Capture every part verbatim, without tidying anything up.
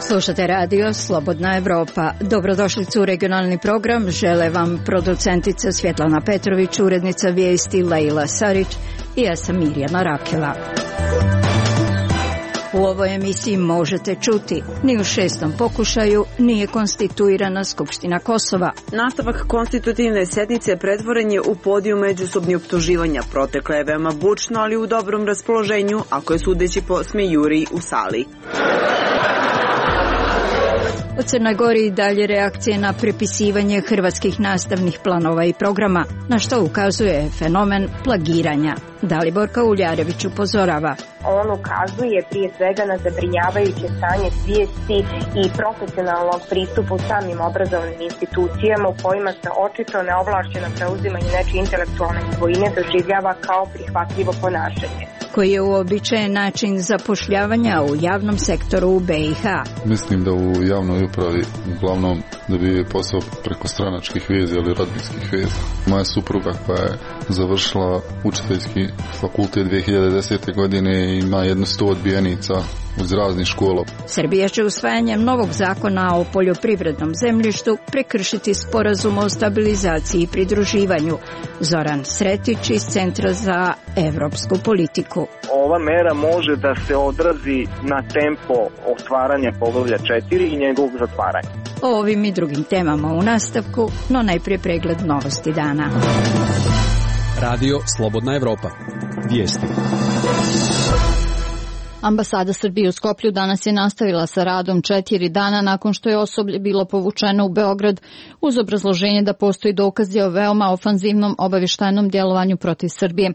Slušate radio Slobodna Evropa. Dobrodošli u regionalni program. Žele vam producentica Svjetlana Petrović, urednica vijesti Lejla Sarić i ja sam Mirjana Rakela. U ovoj emisiji možete čuti, ni u šestom pokušaju nije konstituirana Skupština Kosova. Nastavak konstitutivne sednice pretvoren je u podijum međusobnih optuživanja. Protekla je veoma bučno, ali u dobrom raspoloženju, ako je sudeći po smejuriji u sali. U Crnoj Gori i dalje reakcije na prepisivanje hrvatskih nastavnih planova i programa, na što ukazuje fenomen plagiranja. Daliborka Uljarević upozorava. On ukazuje prije svega na zabrinjavajuće stanje svijesti i profesionalnog pristupu samim obrazovnim institucijama u kojima se očito neovlašćeno preuzimanje nečije intelektualne svojine doživljava kao prihvatljivo ponašanje. Koji je uobičajen način zapošljavanja u javnom sektoru u B i H. Mislim da u javnoj upravi uglavnom dobije posao preko stranačkih veza ili rodbinskih veza. Moja supruga koja je završila učiteljski fakultet dvije hiljade desete. godine i ima jedno sto odbijenica uz raznih škola. Srbija će usvajanjem novog zakona o poljoprivrednom zemljištu prekršiti sporazum o stabilizaciji i pridruživanju. Zoran Sretić iz Centra za evropsku politiku. Ova mera može da se odrazi na tempo otvaranja poglavlja četiri i njegovog zatvaranja. O ovim i drugim temama u nastavku, no najprije pregled novosti dana. Radio Slobodna Evropa. Vijesti. Ambasada Srbije u Skoplju danas je nastavila sa radom četiri dana nakon što je osoblje bilo povučeno u Beograd uz obrazloženje da postoji dokazi o veoma ofanzivnom obavještajnom djelovanju protiv Srbije.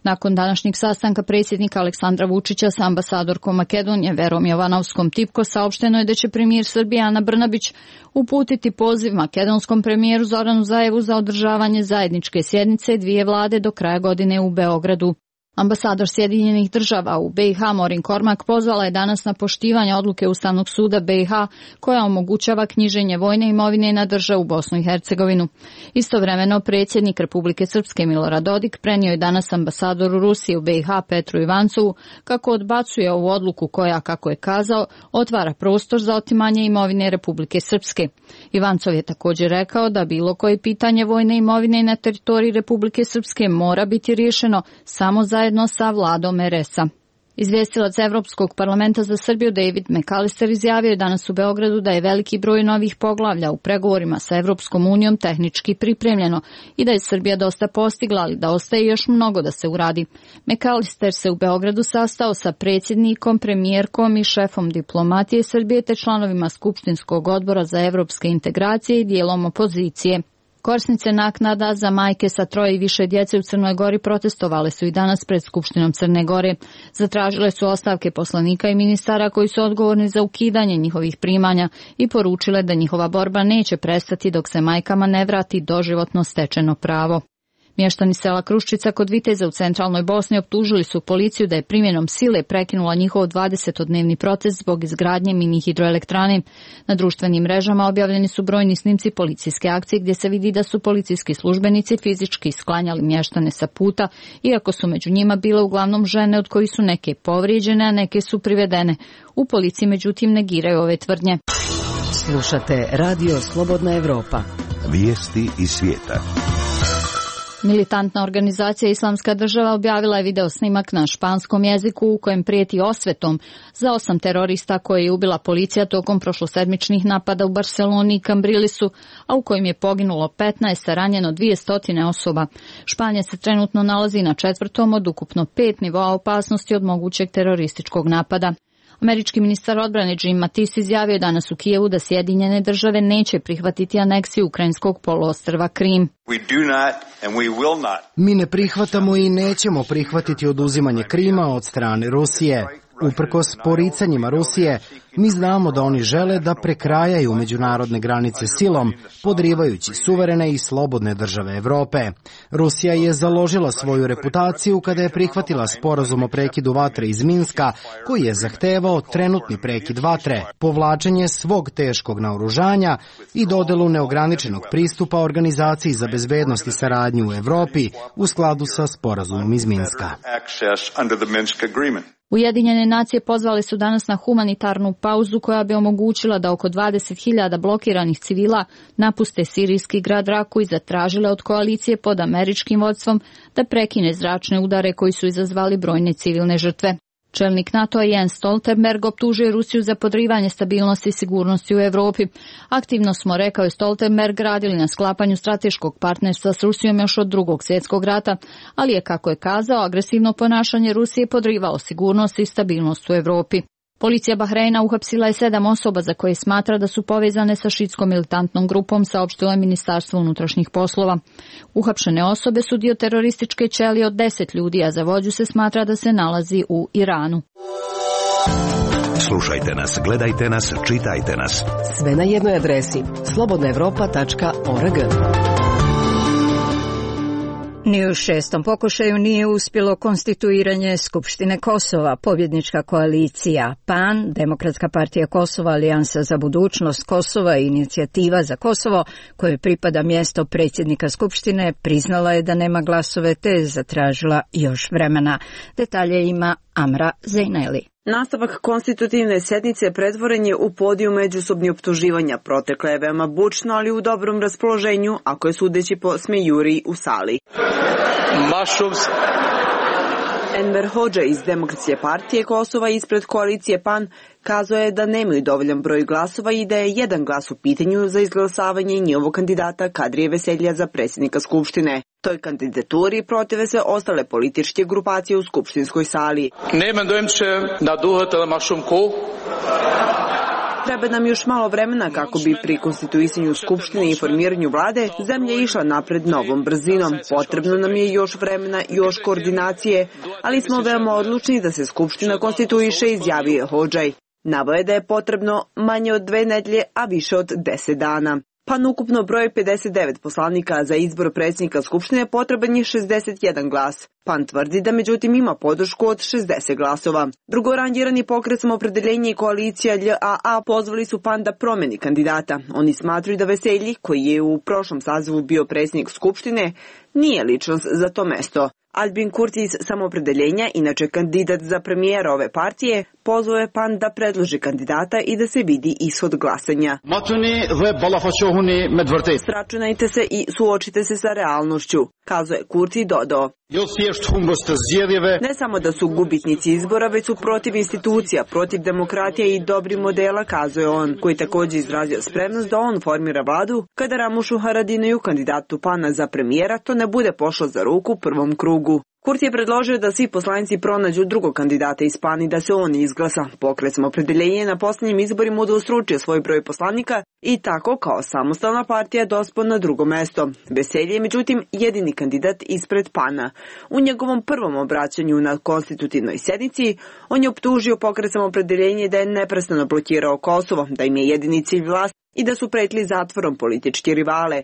Nakon današnjeg sastanka predsjednika Aleksandra Vučića sa ambasadorkom Makedonije Verom Jovanovskom Tipko saopšteno je da će premijer Srbije Ana Brnabić uputiti poziv makedonskom premijeru Zoranu Zaevu za održavanje zajedničke sjednice dvije vlade do kraja godine u Beogradu. Ambasador Sjedinjenih država u B i H Morin Kormak pozvala je danas na poštivanje odluke Ustavnog suda B i H koja omogućava knjiženje vojne imovine na državu Bosnu i Hercegovinu. Istovremeno predsjednik Republike Srpske Milorad Dodik prenio je danas ambasadoru Rusije u B i H Petru Ivancovu kako odbacuje ovu odluku koja, kako je kazao, otvara prostor za otimanje imovine Republike Srpske. Ivancov je također rekao da bilo koje pitanje vojne imovine na teritoriji Republike Srpske mora biti riješeno samo za zajedno sa vladom er es-a. Izvjestilac Evropskog parlamenta za Srbiju David McAllister izjavio je danas u Beogradu da je veliki broj novih poglavlja u pregovorima sa Evropskom unijom tehnički pripremljeno i da je Srbija dosta postigla, ali da ostaje još mnogo da se uradi. McAllister se u Beogradu sastao sa predsjednikom, premijerkom i šefom diplomatije Srbije te članovima Skupštinskog odbora za evropske integracije i dijelom opozicije. Korisnice naknada za majke sa troje i više djece u Crnoj Gori protestovale su i danas pred Skupštinom Crne Gore. Zatražile su ostavke poslanika i ministara koji su odgovorni za ukidanje njihovih primanja i poručile da njihova borba neće prestati dok se majkama ne vrati doživotno stečeno pravo. Mještani sela Kruščica kod Viteza u centralnoj Bosni optužili su policiju da je primjenom sile prekinula njihov dvadesetodnevni protest zbog izgradnje mini hidroelektrane. Na društvenim mrežama objavljeni su brojni snimci policijske akcije gdje se vidi da su policijski službenici fizički sklanjali mještane sa puta, iako su među njima bile uglavnom žene od kojih su neke povrijeđene, a neke su privedene. U policiji međutim negiraju ove tvrdnje. Slušate Radio Slobodna Evropa. Vijesti iz svijeta. Militantna organizacija Islamska država objavila je video snimak na španskom jeziku u kojem prijeti osvetom za osam terorista koje je ubila policija tokom prošlosedmičnih napada u Barceloni i Cambrilisu, a u kojim je poginulo petnaest, a ranjeno dvjesto osoba. Španija se trenutno nalazi na četvrtom od ukupno pet nivoa opasnosti od mogućeg terorističkog napada. Američki ministar odbrane Jim Mattis izjavio danas u Kijevu da Sjedinjene države neće prihvatiti aneksiju ukrajinskog poluostrva Krim. Mi ne prihvatamo i nećemo prihvatiti oduzimanje Krima od strane Rusije. Uprkos poricanjima Rusije, mi znamo da oni žele da prekrajaju međunarodne granice silom, podrivajući suverene i slobodne države Evrope. Rusija je založila svoju reputaciju kada je prihvatila sporazum o prekidu vatre iz Minska, koji je zahtevao trenutni prekid vatre, povlačenje svog teškog naoružanja i dodelu neograničenog pristupa Organizaciji za bezbednost i saradnju u Evropi u skladu sa sporazumom iz Minska. Ujedinjene nacije pozvale su danas na humanitarnu pauzu koja bi omogućila da oko dvadeset hiljada blokiranih civila napuste sirijski grad Raku i zatražile od koalicije pod američkim vodstvom da prekine zračne udare koji su izazvali brojne civilne žrtve. Čelnik NATO-a Jens Stoltenberg optužuje Rusiju za podrivanje stabilnosti i sigurnosti u Evropi. Aktivno smo, rekao je Stoltenberg, radili na sklapanju strateškog partnerstva s Rusijom još od drugog svjetskog rata, ali je, kako je kazao, agresivno ponašanje Rusije podrivao sigurnost i stabilnost u Evropi. Policija Bahreina uhapsila je sedam osoba za koje smatra da su povezane sa šiitskom militantnom grupom, saopštilo je Ministarstvo unutrašnjih poslova. Uhapšene osobe su dio terorističke ćelije od deset ljudi, a za vođu se smatra da se nalazi u Iranu. Slušajte nas, gledajte nas, čitajte nas. Sve na jednoj adresi slobodna evropa tačka org. Ni u šestom pokušaju nije uspjelo konstituiranje Skupštine Kosova. Pobjednička koalicija P A N, Demokratska partija Kosova, Alijansa za budućnost Kosova i Inicijativa za Kosovo, kojoj pripada mjesto predsjednika Skupštine, priznala je da nema glasove te je zatražila još vremena. Detalje ima Amra Zejneli. Nastavak konstitutivne sjednice pretvoren je u podiju međusobnih optuživanja. Protekla je veoma bučno, ali u dobrom raspoloženju, ako je sudeći po smejuriji u sali. Mašovs. Enver Hođa iz Demokratske partije Kosova ispred koalicije P A N kazao je da nemaju dovoljan broj glasova i da je jedan glas u pitanju za izglasavanje njihovog kandidata Kadrije Veselja za predsjednika Skupštine. Toj kandidaturi protive se ostale političke grupacije u skupštinskoj sali. Nemen dojmče na duhet ili mašumku. Treba nam još malo vremena kako bi pri konstituisanju Skupštine i formiranju vlade zemlja išla napred novom brzinom. Potrebno nam je još vremena, još koordinacije, ali smo veoma odlučni da se Skupština konstituiše, izjavio je Hođaj. Naveo je da je potrebno manje od dve nedelje, a više od deset dana. P A N ukupno broj pedeset devet poslanika za izbor predsjednika Skupštine potreban je šezdeset jedan glas. P A N tvrdi da međutim ima podršku od šezdeset glasova. Drugorangirani pokret Samoopredjeljenje i koalicija L A A pozvali su P A N da promeni kandidata. Oni smatruju da Veselji, koji je u prošlom sazivu bio predsjednik Skupštine, nije ličnost za to mesto. Albin Kurti iz Samoopredjeljenja, inače kandidat za premijera ove partije, pozvao je P A N da predloži kandidata i da se vidi ishod glasanja. Sračunajte se i suočite se sa realnošću, kazao je Kurti i dodao. Ne samo da su gubitnici izbora, već su protiv institucija, protiv demokratije i dobrih modela, kazao je on, koji također izrazio spremnost da on formira vladu kada Ramušu Haradinaju, kandidatu P A N-a za premijera, to ne bude pošlo za ruku u prvom krugu. Kurti je predložio da svi poslanici pronađu drugog kandidata iz P A N i da se on izglasa. Pokret Samoopredjeljenje na posljednjim izborima udvostručio svoj broj poslanika i tako kao samostalna partija dospao na drugo mesto. Veselje je međutim jedini kandidat ispred P A N-a. U njegovom prvom obraćanju na konstitutivnoj sjednici on je optužio Pokret Samoopredjeljenje da je neprestano blokirao Kosovo, da im je jedini cilj vlast i da su pretili zatvorom politički rivale.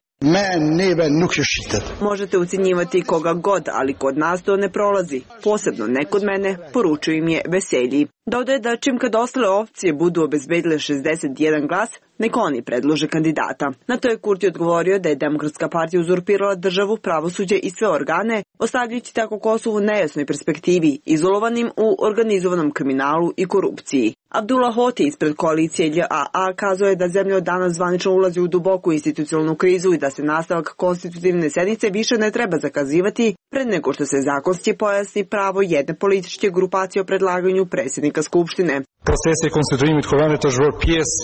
Možete ucjenjivati koga god, ali kod nas to ne prolazi. Posebno ne kod mene, poručuju im je Veselji. Dodaje da čim kad ostale opcije budu obezbedile šezdeset jedan glas, neka oni predlože kandidata. Na to je Kurti odgovorio da je Demokratska partija uzurpirala državu, pravosuđe i sve organe, ostavljajući tako Kosovu u nejasnoj perspektivi, izolovanim u organizovanom kriminalu i korupciji. Abdullah Hoti ispred koalicije L A A kazao je da zemlja od danas zvanično ulazi u duboku institucionalnu krizu i da se nastavak konstitutivne sjednice više ne treba zakazivati pred nego što se zakonski pojasni pravo jedne političke grupacije o predlaganju predsjednika Skupštine.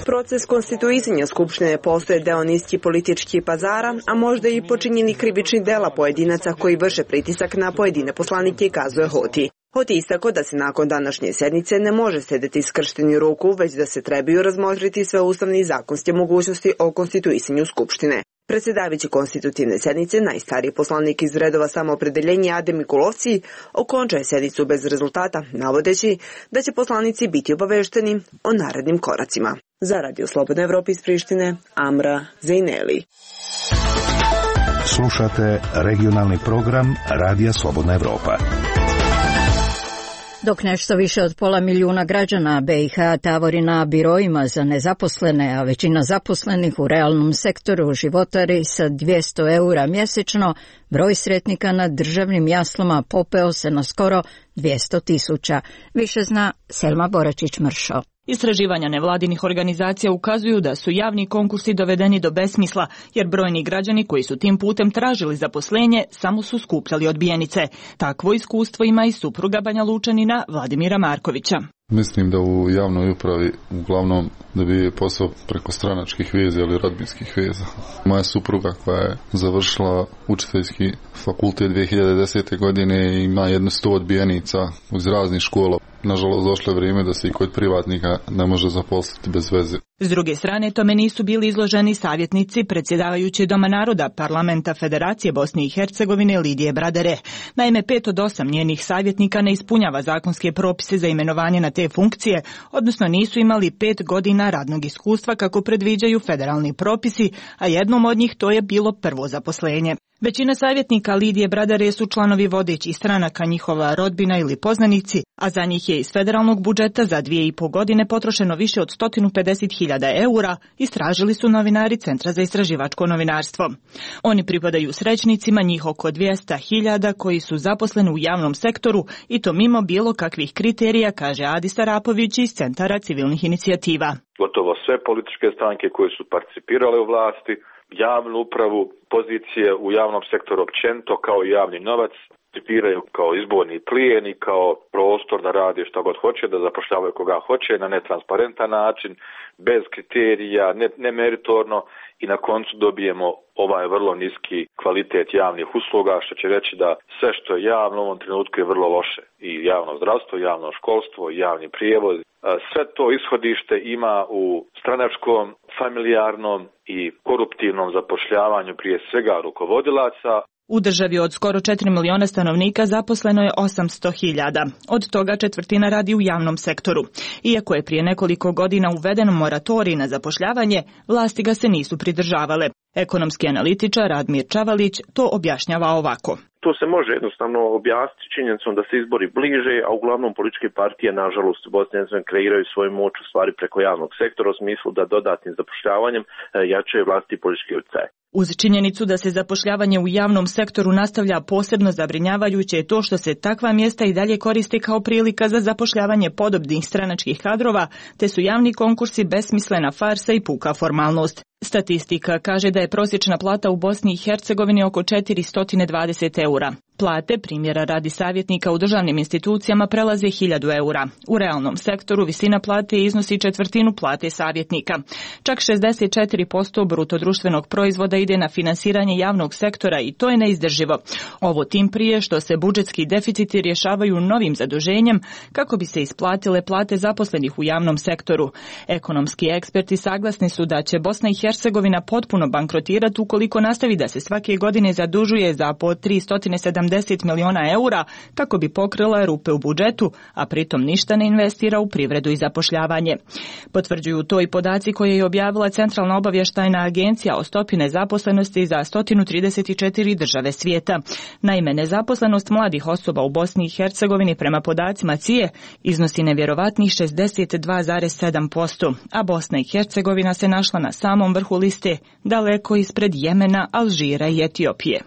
Proces konstituisanja Skupštine postoje deo niskih političkih pazara, a možda i počinjeni krivični dela pojedinaca koji vrše pritisak na pojedine poslanike, kazuje Hoti. Hoti istako da se nakon današnje sjednice ne može sedeti skršteni ruku, već da se trebaju razmotriti sve ustavne i zakonske mogućnosti o konstituisanju Skupštine. Predsjedavajući konstitutivne sednice, najstariji poslanik iz redova Samoopredeljenja Adem Mikulovci okončuje sednicu bez rezultata, navodeći da će poslanici biti obavešteni o narednim koracima. Za Radio Slobodna Evropa iz Prištine, Amra Zejneli. Slušate regionalni program Radija Slobodna Evropa. Dok nešto više od pola milijuna građana be i ha tavori na biroima za nezaposlene, a većina zaposlenih u realnom sektoru životari sa dvjesto eura mjesečno, broj sretnika na državnim jaslama popeo se na skoro dvjesto tisuća. Više zna Selma Boračić-Mršo. Istraživanja nevladinih organizacija ukazuju da su javni konkursi dovedeni do besmisla, jer brojni građani koji su tim putem tražili zaposlenje samo su skupljali odbijenice. Takvo iskustvo ima i supruga Banja Lučanina Vladimira Markovića. Mislim da u javnoj upravi uglavnom dobije posao preko stranačkih veza ili rodbinskih veza. Moja supruga koja je završila učiteljski fakultet dvije hiljade desete. godine ima jedno sto odbijenica iz raznih škola. Nažalost, došlo je vrijeme da se i kod privatnika ne može zaposliti bez veze. S druge strane, tome nisu bili izloženi savjetnici predsjedavajući Doma naroda Parlamenta Federacije Bosne i Hercegovine Lidije Bradare. Naime, pet od osam njenih savjetnika ne ispunjava zakonske propise za imenovanje na te funkcije, odnosno nisu imali pet godina radnog iskustva kako predviđaju federalni propisi, a jednom od njih to je bilo prvo zaposlenje. Većina savjetnika Lidije Bradare su članovi vodećih stranaka, njihova rodbina ili poznanici, a za njih je iz federalnog budžeta za dvije i po godine potrošeno više od sto pedeset hiljada eura, istražili su novinari Centra za istraživačko novinarstvo. Oni pripadaju srećnicima, njih oko dvjesto hiljada koji su zaposleni u javnom sektoru i to mimo bilo kakvih kriterija, kaže Adi Sarapović iz Centara civilnih inicijativa. Gotovo sve političke stranke koje su participirale u vlasti, javnu upravu, pozicije u javnom sektoru općenito kao i javni novac participiraju kao izborni plijen i kao prostor da rade što god hoće, da zapošljavaju koga hoće na netransparentan način, bez kriterija, ne, nemeritorno i na koncu dobijemo ovaj vrlo niski kvalitet javnih usluga, što će reći da sve što je javno u ovom trenutku je vrlo loše. I javno zdravstvo, javno školstvo, javni prijevoz. Sve to ishodište ima u stranačkom, familijarnom i koruptivnom zapošljavanju prije svega rukovodilaca. U državi od skoro četiri miliona stanovnika zaposleno je osamsto hiljada. Od toga četvrtina radi u javnom sektoru. Iako je prije nekoliko godina uveden moratorij na zapošljavanje, vlasti ga se nisu pridržavale. Ekonomski analitičar Radmir Čavalić to objašnjava ovako. To se može jednostavno objasniti činjenicom da se izbori bliže, a uglavnom političke partije, nažalost, u Bosni i Hercegovini kreiraju svoju moć u stvari preko javnog sektora u smislu da dodatnim zapošljavanjem jačaju vlasti politički utjecaj. Uz činjenicu da se zapošljavanje u javnom sektoru nastavlja, posebno zabrinjavajuće je to što se takva mjesta i dalje koriste kao prilika za zapošljavanje podobnih stranačkih kadrova, te su javni konkursi besmislena farsa i puka formalnost. Statistika kaže da je prosječna plata u Bosni i Hercegovini oko četiristo dvadeset eura. Plate, primjera radi savjetnika u državnim institucijama, prelaze hiljadu eura. U realnom sektoru visina plate iznosi četvrtinu plate savjetnika. Čak šezdeset četiri posto bruto društvenog proizvoda ide na finansiranje javnog sektora i to je neizdrživo. Ovo tim prije što se budžetski deficiti rješavaju novim zaduženjem kako bi se isplatile plate zaposlenih u javnom sektoru. Ekonomski eksperti saglasni su da će Bosna i Hercegovina potpuno bankrotirati ukoliko nastavi da se svake godine zadužuje za po tristo sedamdeset miliona eura kako bi pokrila rupe u budžetu, a pritom ništa ne investira u privredu i zapošljavanje. Potvrđuju to i podaci koje je objavila Centralna obavještajna agencija o stopi nezaposlenosti za sto trideset četiri države svijeta. Naime, nezaposlenost mladih osoba u Bosni i Hercegovini prema podacima C I E iznosi nevjerovatnih šezdeset dva zarez sedam posto, a Bosna i Hercegovina se našla na samom vrhu liste, daleko ispred Jemena, Alžira i Etiopije.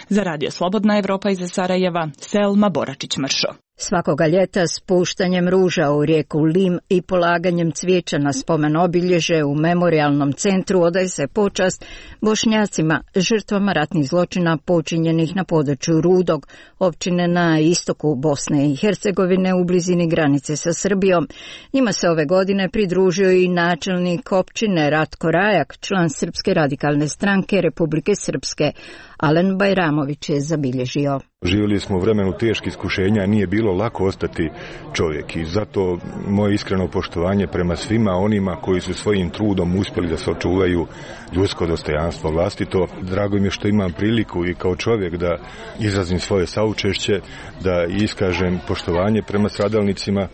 Za Radio Slobodna Evropa iz Sarajeva, Selma Boračić-Mršo. Svakoga ljeta spuštanjem ruža u rijeku Lim i polaganjem cvijeća na spomen obilježe u memorijalnom centru odaje se počast Bošnjacima, žrtvama ratnih zločina počinjenih na području Rudog, općine na istoku Bosne i Hercegovine u blizini granice sa Srbijom. Njima se ove godine pridružio i načelnik općine Ratko Rajak, član Srpske radikalne stranke Republike Srpske. Alen Bajramović je zabilježio. Živjeli smo u vremenu teških iskušenja, nije bilo lako ostati čovjek i zato moje iskreno poštovanje prema svima onima koji su svojim trudom uspjeli da se očuvaju ljudsko dostojanstvo vlastito. Drago mi je što imam priliku i kao čovjek da izrazim svoje saučešće, da iskažem poštovanje prema stradalnicima.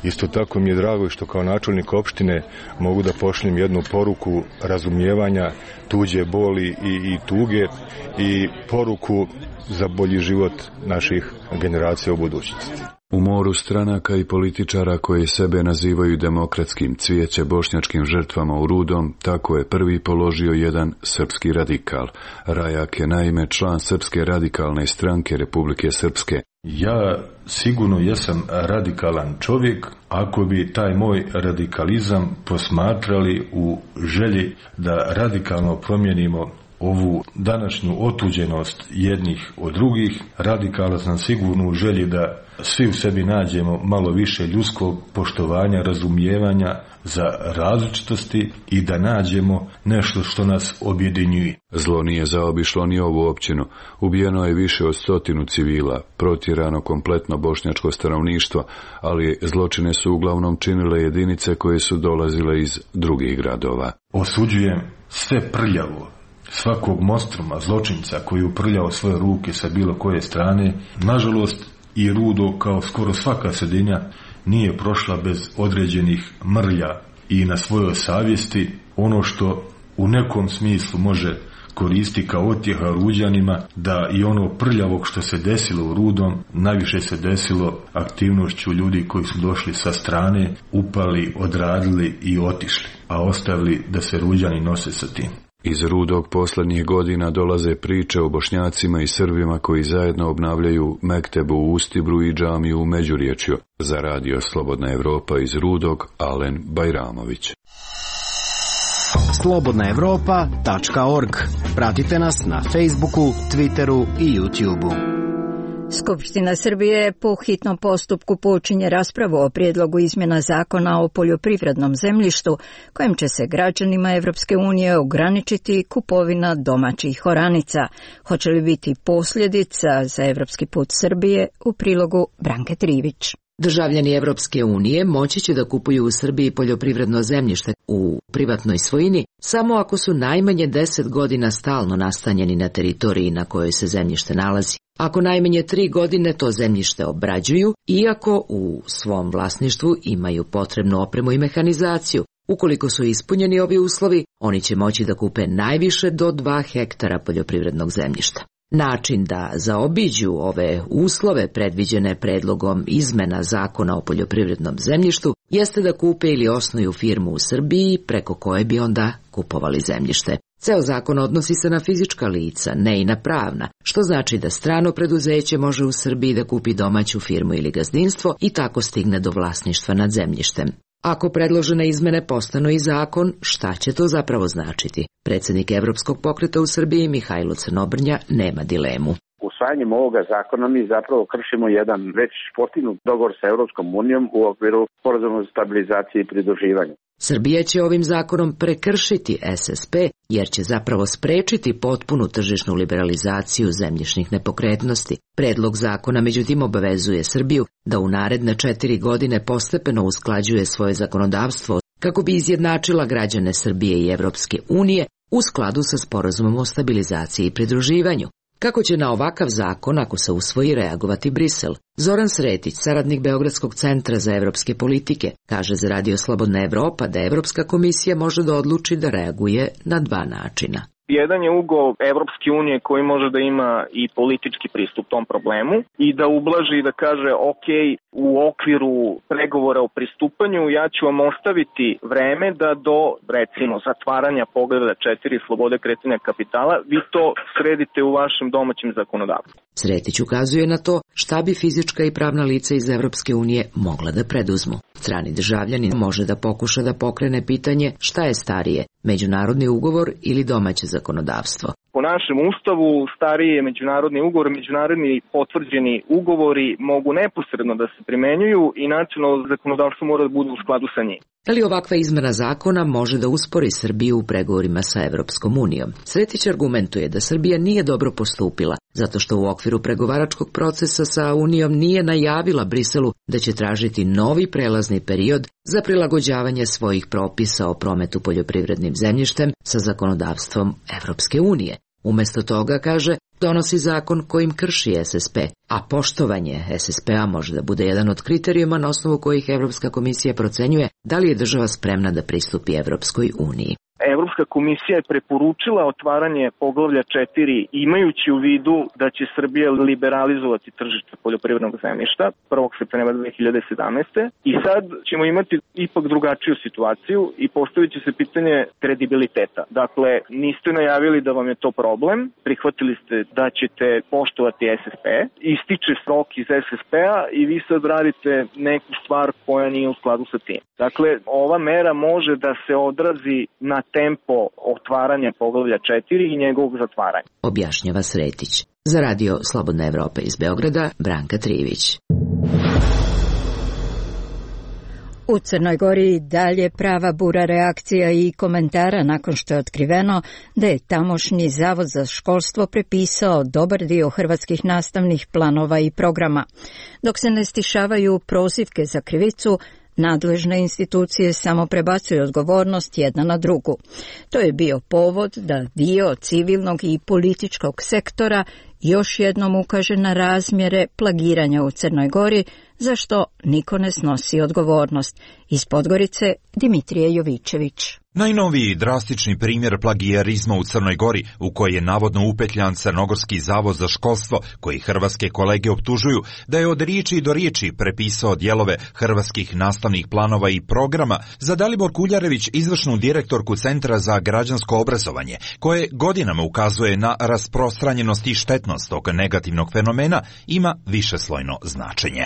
Isto tako mi je drago što kao načelnik opštine mogu da pošaljem jednu poruku razumijevanja tuđe boli i, i tuge i poruku za bolji život naših generacija u budućnosti. U moru stranaka i političara koji sebe nazivaju demokratskim cvijeće bošnjačkim žrtvama u Rudom, tako je prvi položio jedan srpski radikal. Rajak je naime član Srpske radikalne stranke Republike Srpske. Ja sigurno jesam radikalan čovjek ako bi taj moj radikalizam posmatrali u želji da radikalno promijenimo ovu današnju otuđenost jednih od drugih. Radikala sam sigurno u želji da svi u sebi nađemo malo više ljudskog poštovanja, razumijevanja za različitosti i da nađemo nešto što nas objedinjuje. Zlo nije zaobišlo ni ovu općinu. Ubijeno je više od stotinu civila, protjerano kompletno bošnjačko stanovništvo, ali zločine su uglavnom činile jedinice koje su dolazile iz drugih gradova. Osuđujem sve prljavo, svakog monstruma, zločinca koji je uprljao svoje ruke sa bilo koje strane. Nažalost, i Rudo, kao skoro svaka sredina, nije prošla bez određenih mrlja i na svojoj savjesti. Ono što u nekom smislu može koristi kao otjeha Ruđanima, da i ono prljavog što se desilo u Rudom, najviše se desilo aktivnošću ljudi koji su došli sa strane, upali, odradili i otišli, a ostavili da se Ruđani nose sa tim. Iz Rudog posljednjih godina dolaze priče o Bošnjacima i Srbima koji zajedno obnavljaju mektebu u Ustibru i džamiju u Međuriječju. Za radio Slobodna Evropa iz Rudog, Alen Bajramović. slobodna evropa tačka org. Pratite nas na Facebooku, Twitteru i YouTubeu. Skupština Srbije po hitnom postupku počinje raspravu o prijedlogu izmjena zakona o poljoprivrednom zemljištu, kojim će se građanima Evropske unije ograničiti kupovina domaćih oranica. Hoće li biti posljedica za evropski put Srbije? U prilogu Branke Trivić. Državljani Evropske unije moći će da kupuju u Srbiji poljoprivredno zemljište u privatnoj svojini samo ako su najmanje deset godina stalno nastanjeni na teritoriji na kojoj se zemljište nalazi. Ako najmanje tri godine to zemljište obrađuju, iako u svom vlasništvu imaju potrebnu opremu i mehanizaciju. Ukoliko su ispunjeni ovi uslovi, oni će moći da kupe najviše do dva hektara poljoprivrednog zemljišta. Način da zaobiđu ove uslove predviđene predlogom izmena zakona o poljoprivrednom zemljištu jeste da kupe ili osnuju firmu u Srbiji preko koje bi onda kupovali zemljište. Ceo zakon odnosi se na fizička lica, ne i na pravna, što znači da strano preduzeće može u Srbiji da kupi domaću firmu ili gazdinstvo i tako stigne do vlasništva nad zemljištem. Ako predložene izmene postanu i zakon, šta će to zapravo značiti? Predsjednik Evropskog pokreta u Srbiji Mihajlo Crnobrnja nema dilemu. Usvajanjem ovoga zakona mi zapravo kršimo jedan već postignut dogovor sa Evropskom unijom u okviru sporazuma za stabilizaciju i pridruživanje. Srbija će ovim zakonom prekršiti S S P jer će zapravo sprečiti potpunu tržišnu liberalizaciju zemljišnih nepokretnosti. Predlog zakona međutim obavezuje Srbiju da u naredne četiri godine postepeno usklađuje svoje zakonodavstvo kako bi izjednačila građane Srbije i Evropske unije u skladu sa sporazumom o stabilizaciji i pridruživanju. Kako će na ovakav zakon, ako se usvoji, reagovati Brisel? Zoran Sretić, saradnik Beogradskog centra za evropske politike, kaže za radio Slobodna Evropa da Evropska komisija može da odluči da reaguje na dva načina. Jedan je ugao Evropske unije koji može da ima i politički pristup tom problemu i da ublaži i da kaže ok, u okviru pregovora o pristupanju ja ću vam ostaviti vreme da do, recimo, zatvaranja pogleda četiri slobode kretanja kapitala, vi to sredite u vašem domaćem zakonodavstvu. Sretić ukazuje na to šta bi fizička i pravna lica iz Evropske unije mogla da preduzmu. Strani državljanin može da pokuša da pokrene pitanje šta je starije, međunarodni ugovor ili domaće zakonodavstvo. Po našem ustavu stariji je međunarodni ugovor, međunarodni potvrđeni ugovori mogu neposredno da se primenjuju i nacionalno zakonodavstvo mora da bude u skladu sa njim. Ali ovakva izmena zakona može da uspori Srbiju u pregovorima sa Evropskom unijom. Sretić argumentuje da Srbija nije dobro postupila, zato što u okviru pregovaračkog procesa sa Unijom nije najavila Briselu da će tražiti novi prelazni period za prilagođavanje svojih propisa o prometu poljoprivrednim zemljištem sa zakonodavstvom Evropske unije. Umesto toga, kaže, donosi zakon kojim krši S S P, a poštovanje S S P-a može da bude jedan od kriterijuma na osnovu kojih Evropska komisija procenjuje da li je država spremna da pristupi Evropskoj uniji. Evropska komisija je preporučila otvaranje poglavlja četiri imajući u vidu da će Srbija liberalizovati tržište poljoprivrednog zemljišta prvog septembra dve hiljade sedamnaeste. I sad ćemo imati ipak drugačiju situaciju i postavit će se pitanje kredibiliteta. Dakle, niste najavili da vam je to problem, prihvatili ste da ćete poštovati S S P, ističe rok iz S S P-a i vi sad radite neku stvar koja nije u skladu sa tim. Dakle, ova mera može da se odrazi na tempo otvaranja poglavlja četiri i njegovog zatvaranja. Objašnjava Sretić. Za radio Slobodna Evropa iz Beograda, Branka Trivić. U Crnoj Gori dalje prava bura reakcija i komentara nakon što je otkriveno da je tamošnji Zavod za školstvo prepisao dobar dio hrvatskih nastavnih planova i programa. Dok se ne stišavaju prozivke za krivicu, nadležne institucije samo prebacuju odgovornost jedna na drugu. To je bio povod da dio civilnog i političkog sektora još jednom ukaže na razmjere plagiranja u Crnoj Gori, za što niko ne snosi odgovornost. Iz Podgorice, Dimitrije Jovičević. Najnoviji drastični primjer plagijarizma u Crnoj Gori, u koji je navodno upetljan Crnogorski zavod za školstvo, koji hrvatske kolege optužuju da je od riječi do riječi prepisao dijelove hrvatskih nastavnih planova i programa, za Dalibor Kuljarević, izvršnu direktorku Centra za građansko obrazovanje, koje godinama ukazuje na rasprostranjenost i štetnost tog negativnog fenomena, ima višeslojno značenje.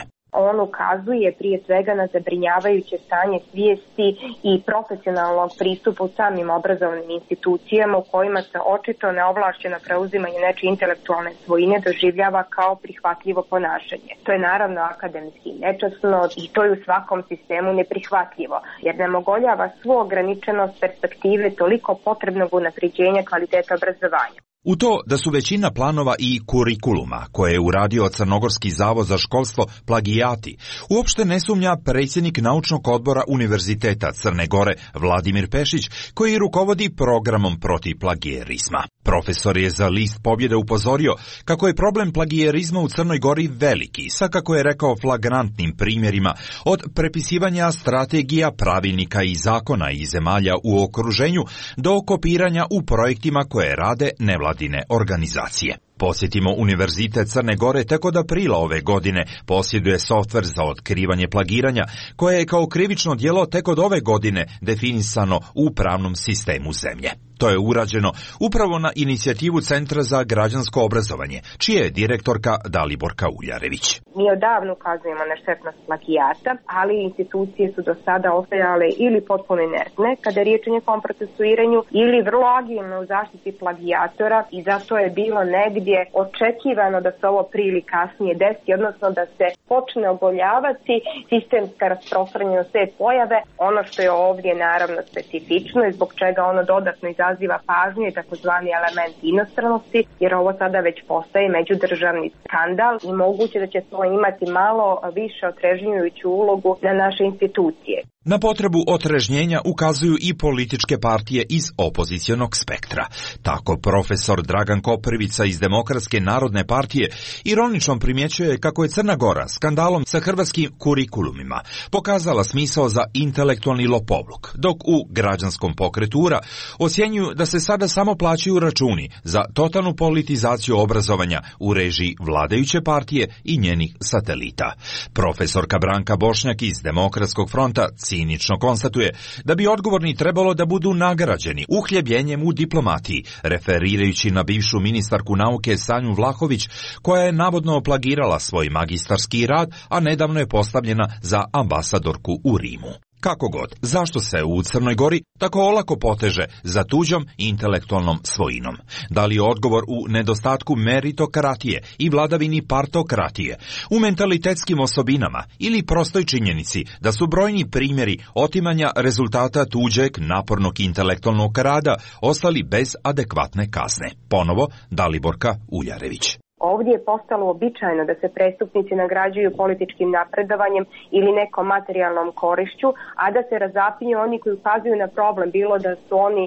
On ukazuje prije svega na zabrinjavajuće stanje svijesti i profesionalnog pristupa u samim obrazovnim institucijama u kojima se očito neovlašćeno preuzimanje nečije intelektualne svojine doživljava kao prihvatljivo ponašanje. To je naravno akademski nečasno i to je u svakom sistemu neprihvatljivo, jer nam ogoljava svu ograničenost perspektive toliko potrebnog unapređenja kvaliteta obrazovanja. U to da su većina planova i kurikuluma koje je uradio Crnogorski zavod za školstvo plagijati, uopšte ne sumnja predsjednik naučnog odbora Univerziteta Crne Gore Vladimir Pešić, koji rukovodi programom protiv plagijerizma. Profesor je za List Pobjede upozorio kako je problem plagijerizma u Crnoj Gori veliki, sa kako je rekao flagrantnim primjerima od prepisivanja strategija, pravilnika i zakona iz zemalja u okruženju do kopiranja u projektima koje rade nevladine organizacije. Posjetimo Univerzitet Crne Gore tek od aprila ove godine posjeduje softver za otkrivanje plagiranja, koje je kao krivično djelo tek od ove godine definisano u pravnom sistemu zemlje. To je urađeno upravo na inicijativu Centra za građansko obrazovanje, čija je direktorka Daliborka Uljarević. Mi odavno ukazujemo na štetnost plagijata, ali institucije su do sada ostajale ili potpuno inertne kada je riječ o njegovom procesuiranju ili vrlo agilne u zaštiti plagijatora i zato je bilo negdje očekivano da se ovo prije ili kasnije desi, odnosno da se počne ogoljavati sistemska rasprostranjenost te pojave. Ono što je ovdje naravno specifično i zbog čega ono dodatno izaziva pažnju je takozvani element inostranosti, jer ovo sada već postaje međudržavni skandal i moguće da će to imati malo više otrežnjujuću ulogu na naše institucije. Na potrebu otrežnjenja ukazuju i političke partije iz opozicionog spektra. Tako profesor Dragan Koprivica iz Demokratske narodne partije ironično primjećuje kako je Crna Gora skandalom sa hrvatskim kurikulumima pokazala smisao za intelektualni lopovluk, dok u građanskom pokretura ocjenjuju da se sada samo plaćaju računi za totalnu politizaciju obrazovanja u režiji vladajuće partije i njenih satelita. Profesorka Branka Bošnjak iz Demokratskog fronta cinično konstatuje da bi odgovorni trebalo da budu nagrađeni uhljebljenjem u diplomatiji, referirajući na bivšu ministarku nauke Sanju Vlahović, koja je navodno plagirala svoj magistarski rad, a nedavno je postavljena za ambasadorku u Rimu. Kako god, zašto se u Crnoj Gori tako olako poteže za tuđom intelektualnom svojinom? Da li je odgovor u nedostatku meritokratije i vladavini partokratije, u mentalitetskim osobinama ili prostoj činjenici da su brojni primjeri otimanja rezultata tuđeg napornog intelektualnog rada ostali bez adekvatne kazne? Ponovo Daliborka Uljarević. Ovdje je postalo običajno da se prestupnici nagrađuju političkim napredovanjem ili nekom materijalnom korišću, a da se razapinju oni koji ukazuju na problem, bilo da su oni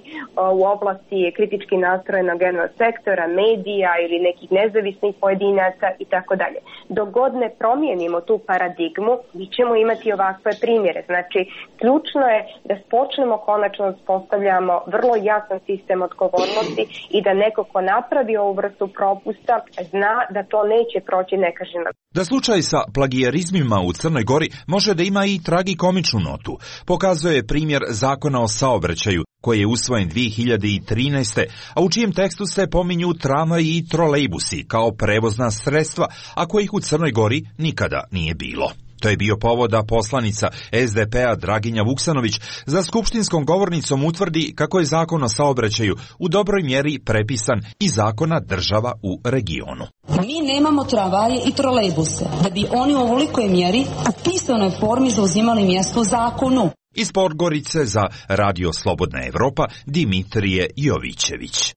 u oblasti kritički nastrojenog jednog sektora, medija ili nekih nezavisnih pojedinaca i tako dalje. Dok god ne promijenimo tu paradigmu, mi ćemo imati ovakve primjere. Znači, ključno je da počnemo konačno uspostavljamo vrlo jasan sistem odgovornosti i da neko ko napravi ovu vrstu propusta zna da to neće proći nekažnjeno. Da slučaj sa plagijarizmima u Crnoj Gori može da ima i tragikomičnu notu, pokazuje primjer Zakona o saobraćaju koji je usvojen dvije hiljade trinaeste. a u čijem tekstu se pominju tramvaji i trolejbusi kao prevozna sredstva, a kojih u Crnoj Gori nikada nije bilo. To je bio povod da poslanica S D P-a Draginja Vuksanović za skupštinskom govornicom utvrdi kako je zakon o saobraćaju u dobroj mjeri prepisan iz zakona država u regionu. Mi nemamo tramvaje i trolejbuse, da bi oni u ovolikoj mjeri u pisanoj formi zauzimali mjesto u zakonu. Iz Podgorice za Radio Slobodna Evropa Dimitrije Jovićević.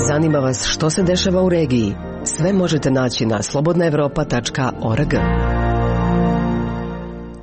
Zanima vas što se dešava u regiji? Sve možete naći na slobodna evropa tačka org.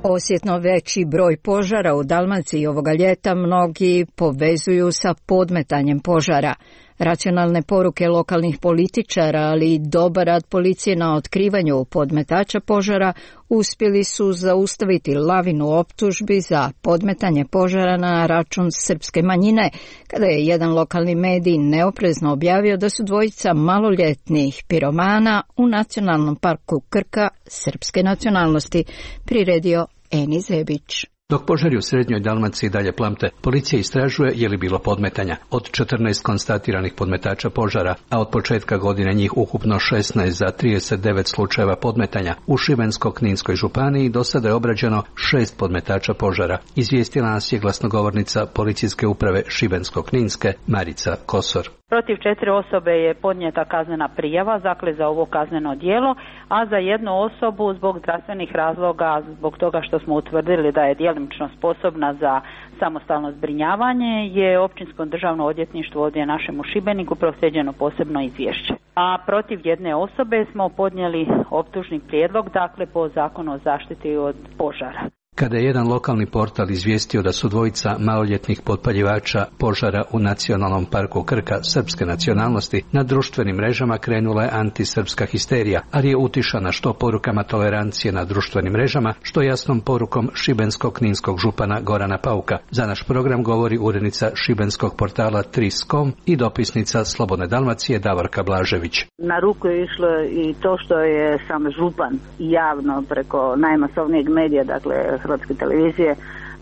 Osjetno veći broj požara u Dalmaciji ovoga ljeta mnogi povezuju sa podmetanjem požara. Racionalne poruke lokalnih političara, ali i dobar rad policije na otkrivanju podmetača požara uspjeli su zaustaviti lavinu optužbi za podmetanje požara na račun srpske manjine, kada je jedan lokalni medij neoprezno objavio da su dvojica maloljetnih piromana u Nacionalnom parku Krka srpske nacionalnosti, priredio Eni Zebić. Dok požari u srednjoj Dalmaciji dalje plamte, policija istražuje je li bilo podmetanja. Od četrnaest konstatiranih podmetača požara, a od početka godine njih ukupno šesnaest za trideset devet slučajeva podmetanja, u Šibensko-Kninskoj županiji do sada je obrađeno šest podmetača požara. Izvijestila nas je glasnogovornica policijske uprave Šibensko-Kninske Marica Kosor. Protiv četiri osobe je podnijeta kaznena prijava, dakle za ovo kazneno djelo, a za jednu osobu zbog zdravstvenih razloga, zbog toga što smo utvrdili da je djelomično sposobna za samostalno zbrinjavanje, je Općinsko državno odvjetništvo ovdje našem u Šibeniku proslijeđeno posebno izvješće. A protiv jedne osobe smo podnijeli optužni prijedlog, dakle po zakonu o zaštiti od požara. Kada je jedan lokalni portal izvijestio da su dvojica maloljetnih potpaljivača požara u Nacionalnom parku Krka srpske nacionalnosti, na društvenim mrežama krenula je antisrpska histerija, ali je utišana što porukama tolerancije na društvenim mrežama, što jasnom porukom šibensko-kninskog župana Gorana Pauka. Za naš program govori urednica šibenskog portala Tris tačka com i dopisnica Slobodne Dalmacije Davorka Blažević. Na ruku je išlo i to što je sam župan javno preko najmasovnijeg medija, dakle Hrvatske televizije,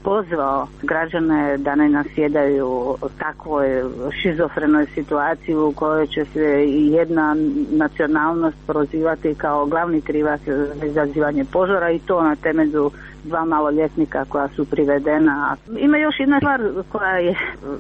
pozvao građane da ne nasjedaju takvoj šizofrenoj situaciji u kojoj će se jedna nacionalnost prozivati kao glavni krivac za izazivanje požara, i to na temelju dva maloljetnika koja su privedena. Ima još jedna stvar koja je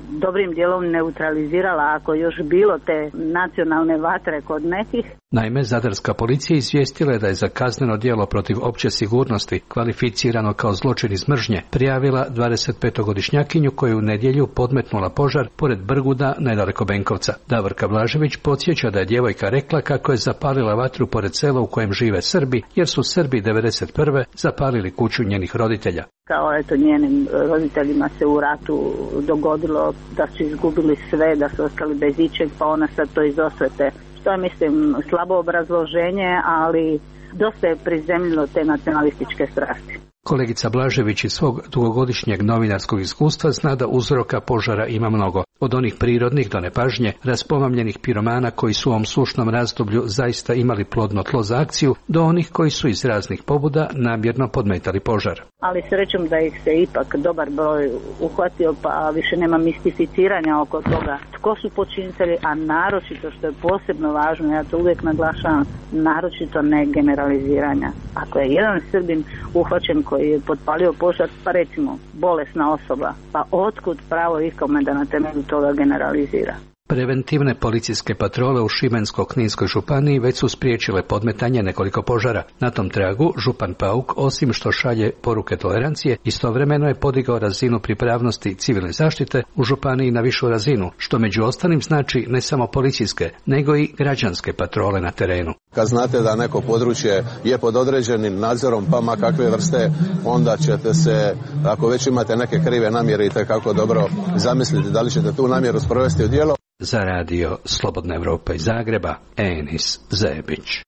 dobrim dijelom neutralizirala, ako još bilo te nacionalne vatre kod nekih. Naime, zadarska policija izvijestila je da je za kazneno djelo protiv opće sigurnosti, kvalificirano kao zločin iz mržnje, prijavila dvadesetpetogodišnjakinju koju je u nedjelju podmetnula požar pored Brguda nedaleko Benkovca. Davorka Blažević podsjeća da je djevojka rekla kako je zapalila vatru pored sela u kojem žive Srbi, jer su Srbi devedeset prve zapalili kuću njenih roditelja. Kao eto njenim roditeljima se u ratu dogodilo da su izgubili sve, da su ostali bez ičeg, pa ona sad to iz osvete. To je, mislim, slabo obrazloženje, ali dosta je prizemljilo te nacionalističke strasti. Kolegica Blažević iz svog dugogodišnjeg novinarskog iskustva zna da uzroka požara ima mnogo. Od onih prirodnih do nepažnje, raspomamljenih piromana koji su u ovom sušnom razdoblju zaista imali plodno tlo za akciju, do onih koji su iz raznih pobuda namjerno podmetali požar. Ali srećom da ih se ipak dobar broj uhvatio, pa više nema mistificiranja oko toga tko su počinitelji, a naročito, što je posebno važno, ja to uvijek naglašavam, naročito ne generaliziranja. Ako je jedan Srbin uhvaćen koji je potpalio požar, pa recimo bolesna osoba, pa otkud pravo ikome da na temelju toga generalizira? Preventivne policijske patrole u Šibensko-Kninskoj županiji već su spriječile podmetanje nekoliko požara. Na tom tragu župan Pauk, osim što šalje poruke tolerancije, istovremeno je podigao razinu pripravnosti civilne zaštite u županiji na višu razinu, što među ostalim znači ne samo policijske, nego i građanske patrole na terenu. Kad znate da neko područje je pod određenim nadzorom, pa ma kakve vrste, onda ćete se, ako već imate neke krive namjere, itekako dobro zamisliti da li ćete tu namjeru sprovesti u djelo. Za radio Slobodna Evropa iz Zagreba, Enis Zebić.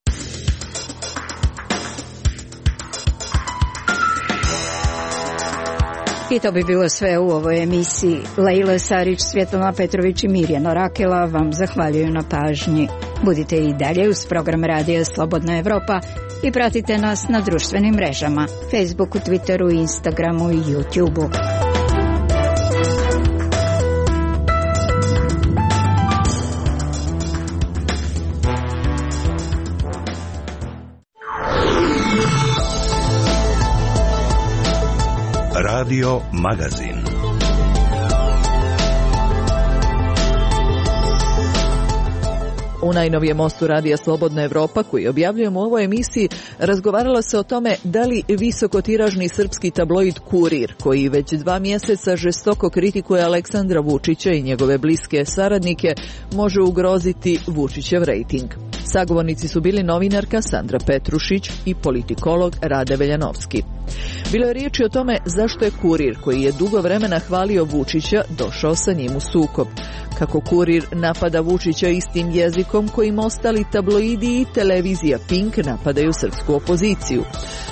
I to bi bilo sve u ovoj emisiji. Lejla Sarić, Svjetlana Petrović i Mirjana Rakela vam zahvaljuju na pažnji. Budite i dalje uz program radija Slobodna Evropa i pratite nas na društvenim mrežama, Facebooku, Twitteru, Instagramu i YouTubeu. Radio Magazin. U najnovijem mostu radija Slobodna Evropa, koji objavljujemo u ovoj emisiji, razgovaralo se o tome da li visokotiražni srpski tabloid Kurir, koji već dva mjeseca žestoko kritikuje Aleksandra Vučića i njegove bliske saradnike, može ugroziti Vučićev rejting. Sagovornici su bili novinarka Sandra Petrušić i politikolog Rade Veljanovski. Bilo je riječi o tome zašto je Kurir, koji je dugo vremena hvalio Vučića, došao sa njim u sukob. Kako Kurir napada Vučića istim jezikom kojim ostali tabloidi i televizija Pink napadaju srpsku opoziciju.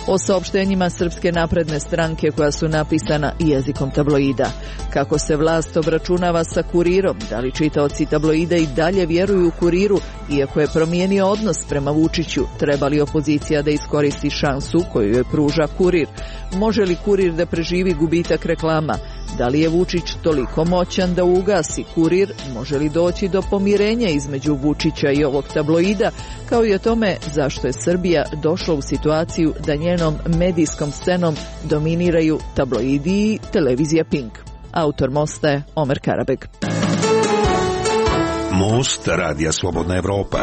O saopštenjima Srpske napredne stranke koja su napisana jezikom tabloida. Kako se vlast obračunava sa Kurirom, da li čitaoci tabloida i dalje vjeruju Kuriru, iako je promijenio odnos prema Vučiću, treba li opozicija da iskoristi šansu koju joj pruža Kurir? Može li Kurir da preživi gubitak reklama? Da li je Vučić toliko moćan da ugasi Kurir? Može li doći do pomirenja između Vučića i ovog tabloida? Kao i o tome zašto je Srbija došla u situaciju da njenom medijskom scenom dominiraju tabloidi i televizija Pink. Autor mosta je Omer Karabeg. Most radija Slobodna Evropa.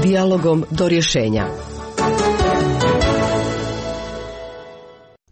Dijalogom do rješenja.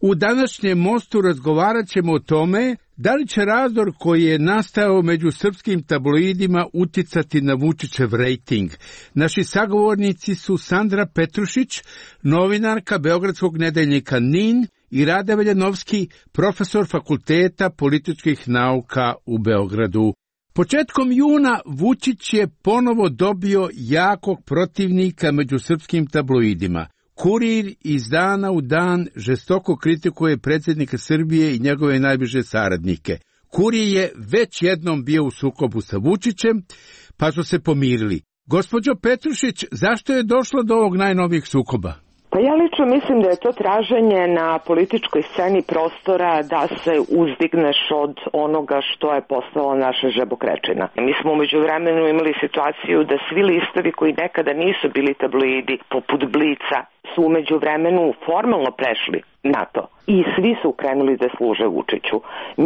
U današnjem mostu razgovarat ćemo o tome da li će razdor koji je nastao među srpskim tabloidima uticati na Vučićev rejting. Naši sagovornici su Sandra Petrušić, novinarka Beogradskog nedeljnika Nin, i Rade Veljanovski, profesor Fakulteta političkih nauka u Beogradu. Početkom juna Vučić je ponovo dobio jakog protivnika među srpskim tabloidima. Kurir iz dana u dan žestoko kritikuje predsjednika Srbije i njegove najbliže saradnike. Kurir je već jednom bio u sukobu sa Vučićem, pa su se pomirili. Gospođo Petrušić, zašto je došlo do ovog najnovijeg sukoba? Pa ja lično mislim da je to traženje na političkoj sceni prostora da se uzdigneš od onoga što je postala naša žabokrečina. Mi smo umeđu vremenu imali situaciju da svi listovi koji nekada nisu bili tabloidi, poput Blica, su umeđu vremenu formalno prešli na to. I svi su krenuli da služe Vučiću.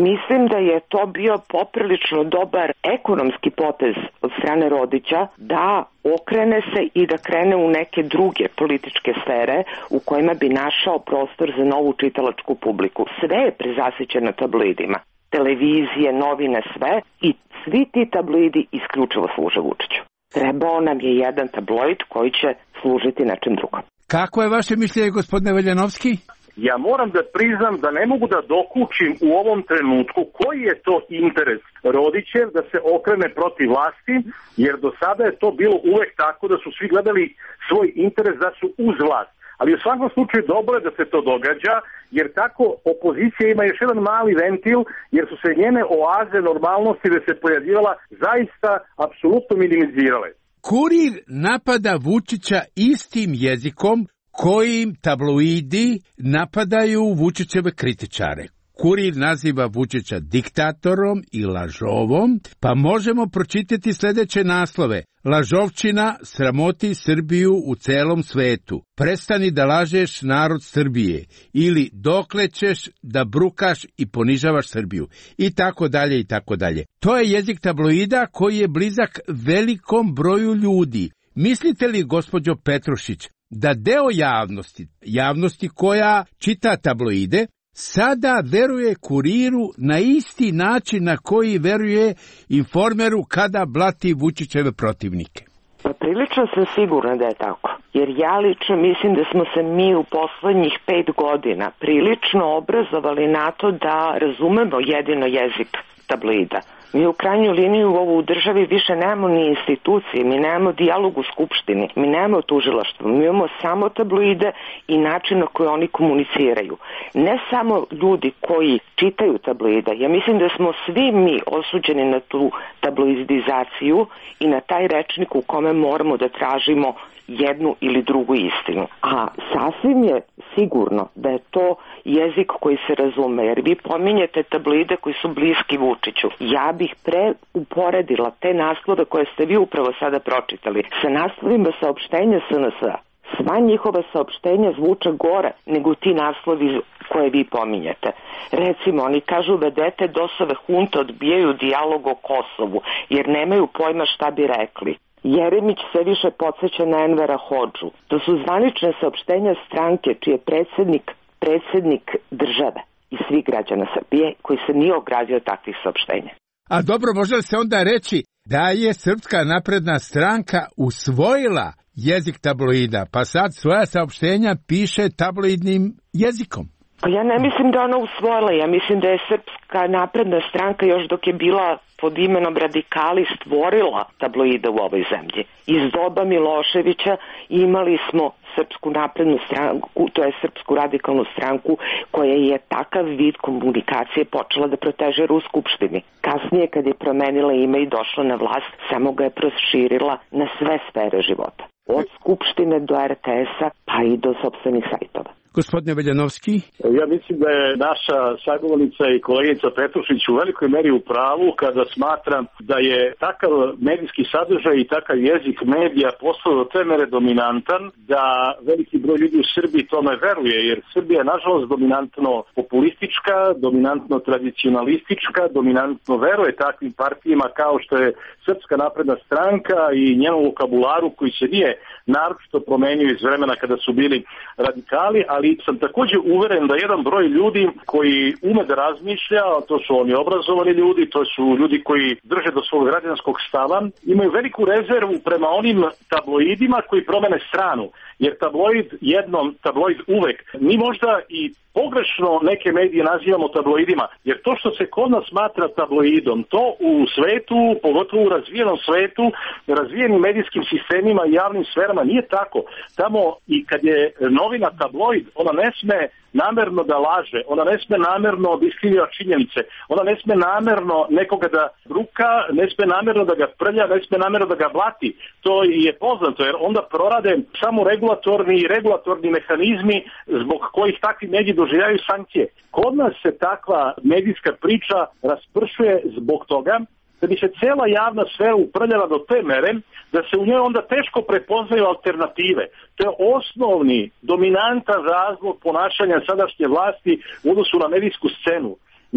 Mislim da je to bio poprilično dobar ekonomski potez od strane Rodića da okrene se i da krene u neke druge političke sfere u kojima bi našao prostor za novu čitalačku publiku. Sve je prezasićeno tabloidima. Televizije, novine, sve. I svi ti tabloidi isključivo služe Vučiću. Trebao nam je jedan tabloid koji će služiti nečem drugom. Kako je vaše mišljenje, gospodine Veljanovski? Ja moram da priznam da ne mogu da dokučim u ovom trenutku koji je to interes Rodićev da se okrene protiv vlasti, jer do sada je to bilo uvek tako da su svi gledali svoj interes da su uz vlast. Ali u svakom slučaju dobro je da se to događa, jer tako opozicija ima još jedan mali ventil, jer su se njene oaze normalnosti da se pojavljivala zaista apsolutno minimizirale. Kurir napada Vučića istim jezikom kojim tabloidi napadaju Vučićeve kritičare. Kurir naziva Vučića diktatorom i lažovom, pa možemo pročitati sljedeće naslove. Lažovčina sramoti Srbiju u celom svetu. Prestani da lažeš narod Srbije. Ili dokle ćeš da brukaš i ponižavaš Srbiju. I tako dalje i tako dalje. To je jezik tabloida koji je blizak velikom broju ljudi. Mislite li, gospođo Petrušić, da deo javnosti, javnosti koja čita tabloide, sada veruje Kuriru na isti način na koji veruje Informeru kada blati Vučićeve protivnike? Pa prilično sam sigurna da je tako. Jer ja lično mislim da smo se mi u poslednjih pet godina prilično obrazovali na to da razumemo jedino jezik tabloida. Mi u krajnjoj liniji u ovu državi više nemamo ni institucije, mi nemamo dijalog u skupštini, mi nemamo tužilaštvo, mi imamo samo tabloide i način na koji oni komuniciraju. Ne samo ljudi koji čitaju tabloide, ja mislim da smo svi mi osuđeni na tu tabloidizaciju i na taj rečnik u kome moramo da tražimo jednu ili drugu istinu. A sasvim je sigurno da je to jezik koji se razume, jer vi pominjete tabloide koji su bliski Vučiću. Ja bih pre uporedila te naslove koje ste vi upravo sada pročitali sa naslovima saopštenja S N S-a. Sva njihova saopštenja zvuče gore nego ti naslovi koje vi pominjete. Recimo, oni kažu vedete DOS-ove hunte odbijaju dijalog o Kosovu jer nemaju pojma šta bi rekli. Jeremić sve više podsjeća na Envera Hodžu. To su zvanične saopštenja stranke čiji je predsjednik, predsjednik države i svih građana Srbije koji se nije ogradio takvih saopštenja. A dobro, može li se onda reći da je Srpska napredna stranka usvojila jezik tabloida, pa sad svoja saopštenja piše tabloidnim jezikom? Pa ja ne mislim da ona usvojila, ja mislim da je Srpska napredna stranka još dok je bila pod imenom radikali stvorila tabloide u ovoj zemlji. Iz doba Miloševića imali smo Srpsku naprednu stranku, to je Srpsku radikalnu stranku koja je takav vid komunikacije počela da protežira u Skupštini. Kasnije kad je promenila ime i došla na vlast, samo ga je proširila na sve sfere života. Od Skupštine do R T S-a pa i do sopstvenih sajtova. Gospodine Veljanovski? Ja mislim da je naša sagovornica i kolegica Petrušić u velikoj meri u pravu kada smatram da je takav medijski sadržaj i takav jezik medija postao do te mere dominantan da veliki broj ljudi u Srbiji tome veruje, jer Srbija je nažalost dominantno populistička, dominantno tradicionalistička, dominantno veruje takvim partijima kao što je Srpska napredna stranka i njenom vokabularu koji se nije naročito promenio iz vremena kada su bili radikali, ali sam također uveren da jedan broj ljudi koji ume da razmišlja, to su oni obrazovani ljudi, to su ljudi koji drže do svog građanskog stava, imaju veliku rezervu prema onim tabloidima koji promene stranu, jer tabloid jednom, tabloid uvek. Mi možda i pogrešno neke medije nazivamo tabloidima, jer to što se kod nas smatra tabloidom, to u svetu, pogotovo u razvijenom svetu, razvijenim medijskim sistemima i javnim sferama nije tako. Tamo i kad je novina tabloid, ona ne sme namerno da laže, ona ne sme namerno da iskrivlja činjenice, ona ne sme namerno nekoga da bruka, ne sme namerno da ga prlja, ne sme namerno da ga blati. To je poznato, jer onda prorade samo regulatorni i regulatorni mehanizmi zbog kojih takvi mediji doživljaju sankcije. Kod nas se takva medijska priča raspršuje zbog toga da bi se cela javna sfera uprljala do te mere da se u njoj onda teško prepoznaju alternative. To je osnovni, dominantan razlog ponašanja sadašnje vlasti u odnosu na medijsku scenu.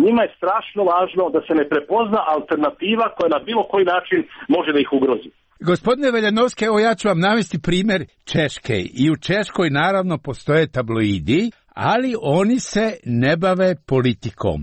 Njima je strašno važno da se ne prepozna alternativa koja na bilo koji način može da ih ugrozi. Gospodine Veljanovski, evo ja ću vam navesti primjer Češke. I u Češkoj naravno postoje tabloidi, ali oni se ne bave politikom.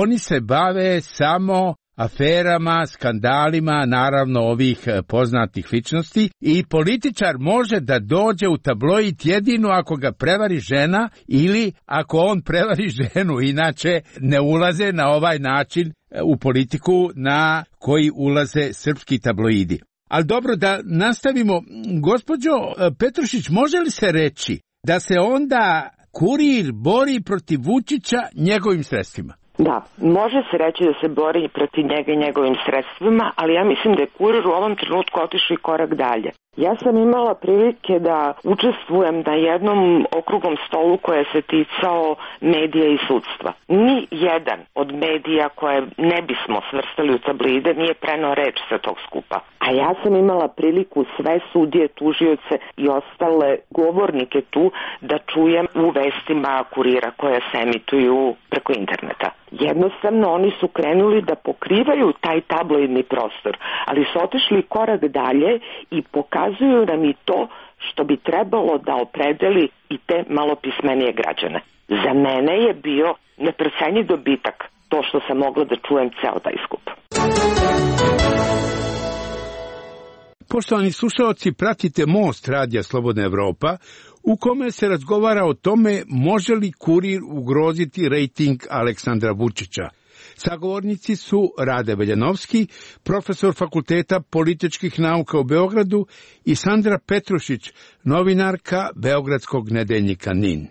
Oni se bave samo aferama, skandalima, naravno ovih poznatih ličnosti, i političar može da dođe u tabloid jedino ako ga prevari žena ili ako on prevari ženu, inače ne ulaze na ovaj način u politiku na koji ulaze srpski tabloidi. Ali dobro, da nastavimo. Gospođo Petrušić, može li se reći da se onda Kurir bori protiv Vučića njegovim sredstvima? Da, može se reći da se bori protiv njega i njegovim sredstvima, ali ja mislim da je Kurir u ovom trenutku otišao i korak dalje. Ja sam imala prilike da učestvujem na jednom okruglom stolu koje se ticao medija i sudstva. Ni jedan od medija koje ne bismo svrstali u tabloide nije preneo reč sa tog skupa. A ja sam imala priliku sve sudije, tužioce i ostale govornike tu da čujem u vestima Kurira koje se emituju preko interneta. Jednostavno oni su krenuli da pokrivaju taj tabloidni prostor, ali su otišli korak dalje i pokazuju nam i to što bi trebalo da opredeli i te malopismenije građane. Za mene je bio neprocenjiv dobitak to što sam mogla da čujem ceo taj skup. Poštovani slušalci, pratite Most radija Slobodna Evropa, u kome se razgovara o tome može li Kurir ugroziti rejting Aleksandra Vučića. Sagovornici su Rade Veljanovski, profesor Fakulteta političkih nauka u Beogradu, i Sandra Petrušić, novinarka Beogradskog nedeljnika N I N.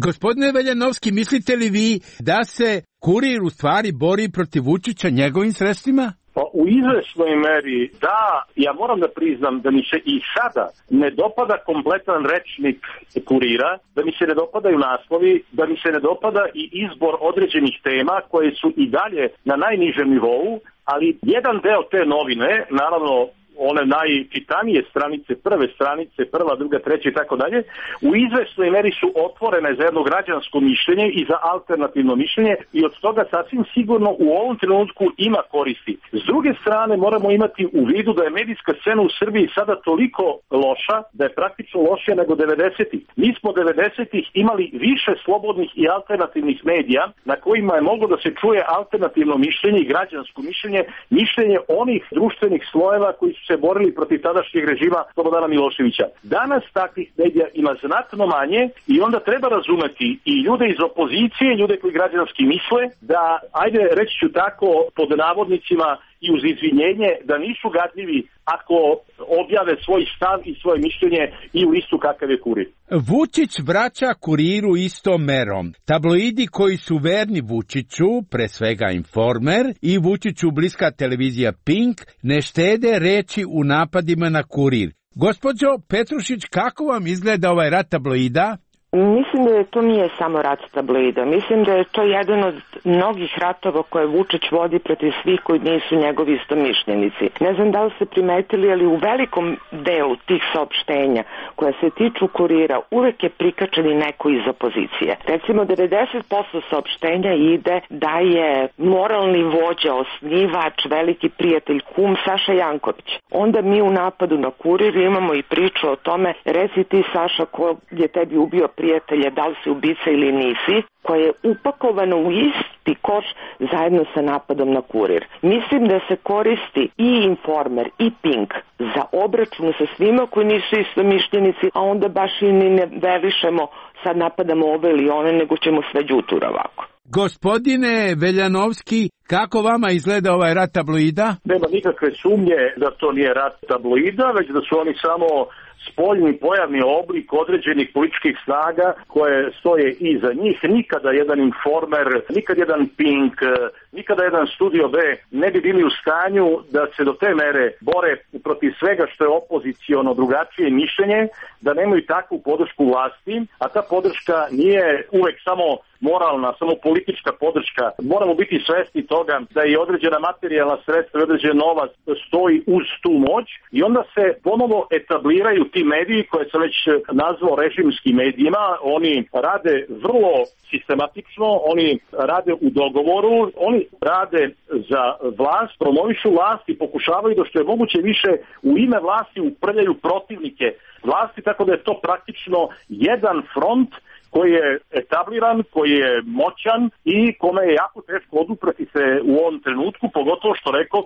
Gospodine Veljanovski, mislite li vi da se Kurir u stvari bori protiv Vučića njegovim sredstvima? Pa u izvesnoj meri da, ja moram da priznam da mi se i sada ne dopada kompletan rečnik Kurira, da mi se ne dopadaju naslovi, da mi se ne dopada i izbor određenih tema koje su i dalje na najnižem nivou, ali jedan deo te novine, naravno one najčitanije stranice, prve stranice, prva, druga, treća i tako dalje, u izvesnoj meri su otvorene za jedno građansko mišljenje i za alternativno mišljenje i od toga sasvim sigurno u ovom trenutku ima koristi. S druge strane moramo imati u vidu da je medijska scena u Srbiji sada toliko loša, da je praktično lošija nego devedesetih. Mi smo devedesetih imali više slobodnih i alternativnih medija na kojima je moglo da se čuje alternativno mišljenje i građansko mišljenje, mišljenje onih društvenih slojeva koji su se borili protiv tadašnjeg režima Slobodana Miloševića. Danas takvih medija ima znatno manje i onda treba razumeti i ljude iz opozicije, ljude koji građanski misle, da, ajde reći ću tako, pod navodnicima i uz izvinjenje, da nisu gadljivi ako objave svoj stav i svoje mišljenje i u listu kakav je Kurir. Vučić vraća Kuriru istom merom. Tabloidi koji su verni Vučiću, pre svega Informer, i Vučiću bliska televizija Pink, ne štede reči u napadima na Kurir. Gospođo Petrušić, kako vam izgleda ovaj rat tabloida? Mislim da to nije samo rat tabloida. Mislim da je to jedan od mnogih ratova koje Vučić vodi protiv svih koji nisu njegovi istomišljenici. Ne znam da li ste primetili, ali u velikom delu tih saopštenja koje se tiču Kurira uvek je prikačen i neko iz opozicije. Recimo devedeset posto saopštenja ide da je moralni vođa, osnivač, veliki prijatelj, kum Saša Janković. Onda mi u napadu na Kurir imamo i priču o tome, reci ti Saša ko je tebi ubio prijatelja, da li si ubica ili nisi, koje je upakovano u isti koš zajedno sa napadom na Kurir. Mislim da se koristi i Informer i Pink za obračun sa svima koji nisu istomišljenici, a onda baš i ne velišemo sad napadamo ove ili one, nego ćemo sve đutura ovako. Gospodine Veljanovski, kako vama izgleda ovaj rat tabloida? Nema nikakve sumnje da to nije rat tabloida, već da su oni samo spoljni pojavni oblik određenih političkih snaga koje stoje iza njih. Nikada jedan Informer, nikada jedan Pink, nikada jedan Studio B ne bi bili u stanju da se do te mere bore protiv svega što je opoziciono drugačije mišljenje, da nemaju takvu podršku vlasti, a ta podrška nije uvek samo moralna, samo politička podrška. Moramo biti svesni toga da i određena materijalna sredstva i određen novac stoji uz tu moć i onda se ponovo etabliraju ti mediji koje sam već nazvao režimskim medijima. Oni rade vrlo sistematično, oni rade u dogovoru, oni rade za vlast, promovišu vlast i pokušavaju da što je moguće više u ime vlasti uprljaju protivnike vlasti, tako da je to praktično jedan front koji je etabliran, koji je moćan i kome je jako teško oduprati se u ovom trenutku, pogotovo što rekoh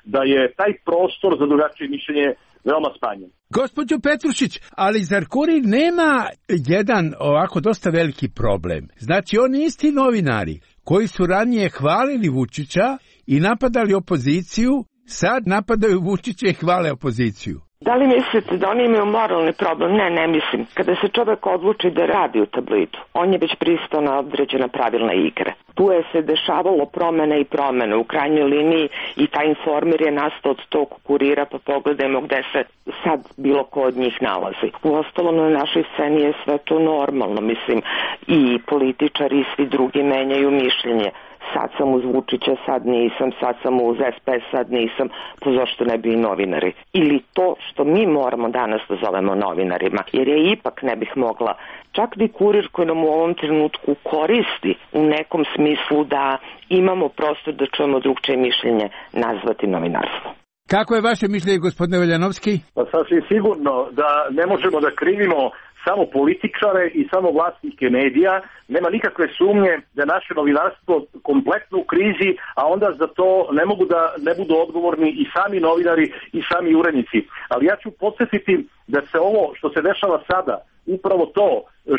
da je taj prostor za drugačije mišljenje veoma smanjen. Gospođo Petrušić, ali zar Kurir nema jedan ovako dosta veliki problem? Znači, oni isti novinari koji su ranije hvalili Vučića i napadali opoziciju, sad napadaju Vučića i hvale opoziciju. Da li mislite da oni imaju moralni problem? Ne, ne mislim. Kada se čovek odluči da radi u tabloidu, on je već pristao na određena pravilna igre. Tu je se dešavalo promene i promene. U krajnjoj liniji i taj Informer je nastao od tog Kurira, pa pogledajmo gde se sad bilo ko od njih nalazi. U ostalom na našoj sceni je sve to normalno. Mislim, i političari i svi drugi menjaju mišljenje. Sad sam uz Vučića, sad nisam, sad sam uz S P S, sad nisam, pa zašto ne bi i novinari? Ili to što mi moramo danas da zovemo novinarima, jer je ipak ne bih mogla, čak i Kurir koji nam u ovom trenutku koristi u nekom smislu da imamo prostor da čujemo drugčije mišljenje, nazvati novinarstvo. Kako je vaše mišljenje, gospodine Veljanovski? Pa sasvim sigurno da ne možemo da krivimo samo političare i samo vlasnike medija. Nema nikakve sumnje da je naše novinarstvo kompletno u krizi, a onda za to ne mogu da ne budu odgovorni i sami novinari i sami urednici. Ali ja ću podsjetiti da se ovo što se dešava sada, upravo to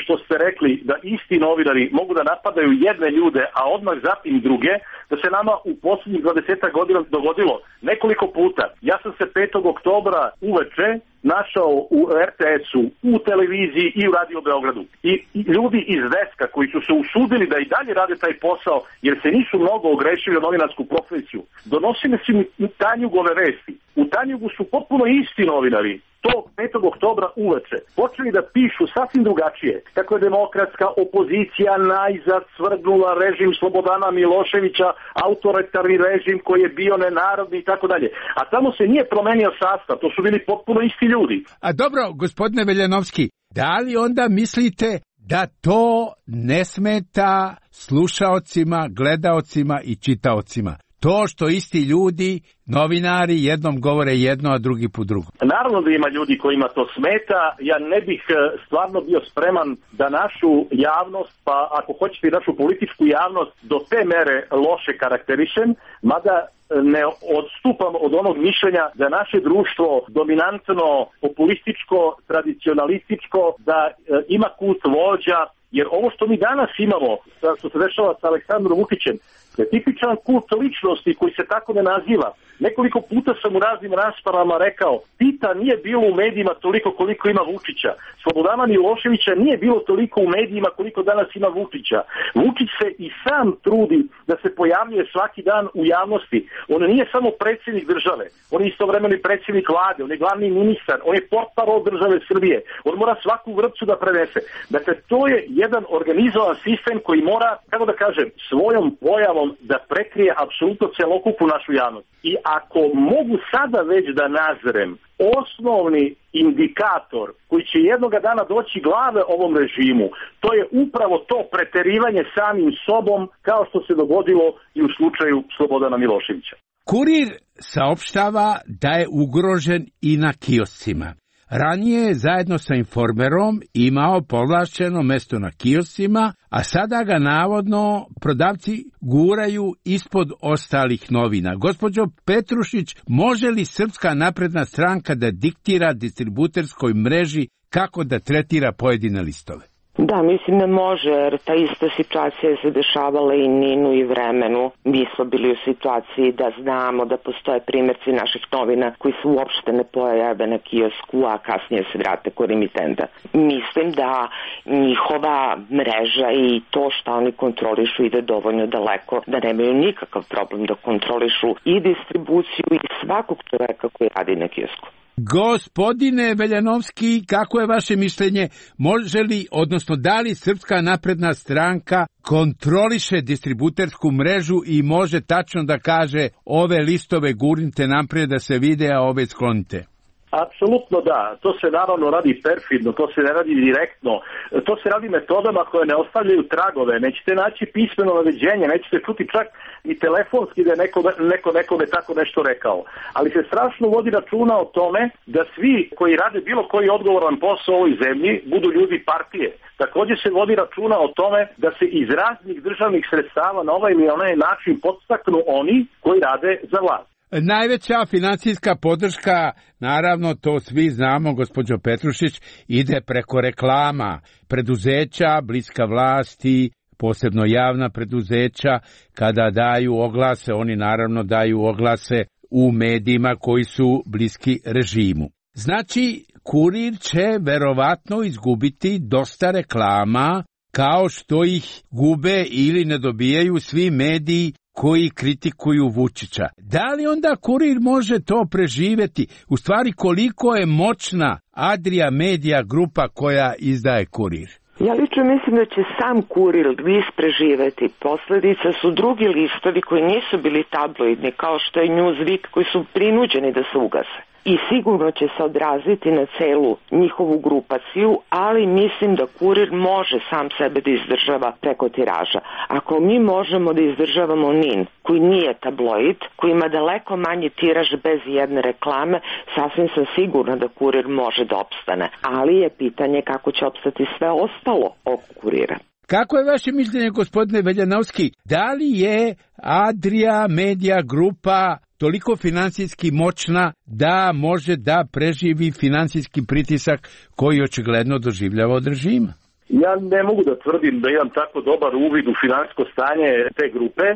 što ste rekli, da isti novinari mogu da napadaju jedne ljude, a odmah zatim druge, da se nama u posljednjih dvadeset godina dogodilo nekoliko puta. Ja sam se petog oktobra uveče našao u R T S-u, u televiziji i u Radio Beogradu. I ljudi iz Deska koji su se usudili da i dalje rade taj posao, jer se nisu mnogo ogrešili o novinarsku profesiju, donosili su mi Tanjugove vesti. U Tanjugu su potpuno isti novinari tog petog oktobra uveče počeli da pišu sasvim drugačije. Kako je demokratska opozicija najzad svrgnula režim Slobodana Miloševića, autoritarni režim koji je bio nenarodni i tako dalje. A tamo se nije promenio sastav, to su bili potpuno isti ljudi. A dobro, gospodine Veljanovski, da li onda mislite da to ne smeta slušaocima, gledaocima i čitaocima? To što isti ljudi, novinari, jednom govore jedno, a drugi po drugo. Naravno da ima ljudi kojima to smeta. Ja ne bih stvarno bio spreman da našu javnost, pa ako hoćete i našu političku javnost, do te mere loše karakterišem, mada ne odstupam od onog mišljenja da je naše društvo dominantno, populističko, tradicionalističko, da ima kult vođa, jer ovo što mi danas imamo, što se dešava sa Aleksandrom Vučićem, je tipičan kult ličnosti koji se tako ne naziva. Nekoliko puta sam u raznim raspravama rekao, Tita nije bilo u medijima toliko koliko ima Vučića. Slobodana Miloševića nije bilo toliko u medijima koliko danas ima Vučića. Vučić se i sam trudi da se pojavljuje svaki dan u javnosti. On nije samo predsjednik države, on je istovremeno i predsjednik vlade, on je glavni ministar, on je portparol države Srbije, on mora svaku vrpcu da prenese. Dakle, to je jedan organizovan sistem koji mora, kako da kažem, svojom pojavom da prekrije apsolutno celokupnu našu javnost. I ako mogu sada već da nazrem osnovni indikator koji će jednoga dana doći glave ovom režimu, to je upravo to preterivanje samim sobom, kao što se dogodilo i u slučaju Slobodana Miloševića. Kurir saopštava da je ugrožen i na kioscima. Ranije je zajedno sa Informerom imao povlašćeno mesto na kioscima, a sada ga navodno prodavci guraju ispod ostalih novina. Gospođo Petrušić, može li Srpska napredna stranka da diktira distributerskoj mreži kako da tretira pojedine listove? Da, mislim da može, jer ta ista situacija se dešavala i Ninu i Vremenu. Mi smo bili u situaciji da znamo da postoje primjerci naših novina koji se uopšte ne pojave na kiosku, a kasnije se vrate kod emitenta. Mislim da njihova mreža i to što oni kontrolišu ide dovoljno daleko, da nemaju nikakav problem da kontrolišu i distribuciju i svakog čoveka koji radi na kiosku. Gospodine Veljanovski, kako je vaše mišljenje, može li, odnosno da li Srpska napredna stranka kontroliše distributersku mrežu i može tačno da kaže ove listove gurnite naprijed da se vide, a ove sklonite? Apsolutno da, to se naravno radi perfidno, to se ne radi direktno, to se radi metodama koje ne ostavljaju tragove, nećete naći pismeno naređenje, nećete čuti čak i telefonski da je neko, neko nekome tako nešto rekao. Ali se strašno vodi računa o tome da svi koji rade bilo koji odgovoran posao u ovoj zemlji budu ljudi partije. Također se vodi računa o tome da se iz raznih državnih sredstava na ovaj ili onaj način podstaknu oni koji rade za vlast. Najveća financijska podrška, naravno to svi znamo, gospođo Petrušić, ide preko reklama, preduzeća, bliska vlasti, posebno javna preduzeća, kada daju oglase, oni naravno daju oglase u medijima koji su bliski režimu. Znači, Kurir će verovatno izgubiti dosta reklama, kao što ih gube ili ne dobijaju svi mediji koji kritikuju Vučića. Da li onda Kurir može to preživeti? U stvari, koliko je moćna Adria Media grupa koja izdaje Kurir? Ja lično mislim da će sam Kurir list preživeti. Posledica su drugi listovi koji nisu bili tabloidni, kao što je Newsweek, koji su prinuđeni da se ugase. I sigurno će se odraziti na celu njihovu grupaciju, ali mislim da Kurir može sam sebe da izdržava preko tiraža. Ako mi možemo da izdržavamo N I N, koji nije tabloid, koji ima daleko manji tiraž bez jedne reklame, sasvim sam sigurna da Kurir može da opstane. Ali je pitanje kako će opstati sve ostalo oko Kurira. Kako je vaše mišljenje, gospodine Veljanovski? Da li je Adria Media grupa toliko finansijski moćna da može da preživi finansijski pritisak koji očigledno doživljava od režima? Ja ne mogu da tvrdim da imam tako dobar uvid u finansijsko stanje te grupe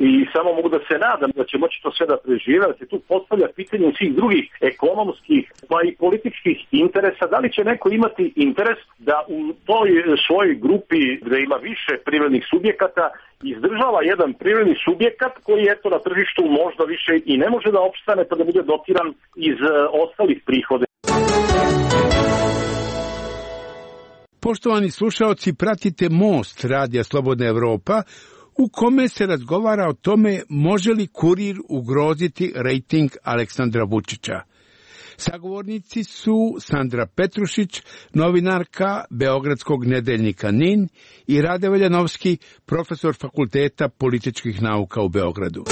i samo mogu da se nadam da će moći to sve da prežive, da se tu postavlja pitanje svih drugih ekonomskih pa i političkih interesa. Da li će neko imati interes da u toj svojoj grupi gde ima više privrednih subjekata izdržava jedan privredni subjekat koji eto na tržištu možda više i ne može da opstane pa da bude dotiran iz ostalih prihoda. Poštovani slušaoci, pratite Most Radija Slobodna Evropa, u kome se razgovara o tome može li Kurir ugroziti rejting Aleksandra Vučića. Sagovornici su Sandra Petrušić, novinarka Beogradskog nedeljnika N I N, i Rade Veljanovski, profesor Fakulteta političkih nauka u Beogradu.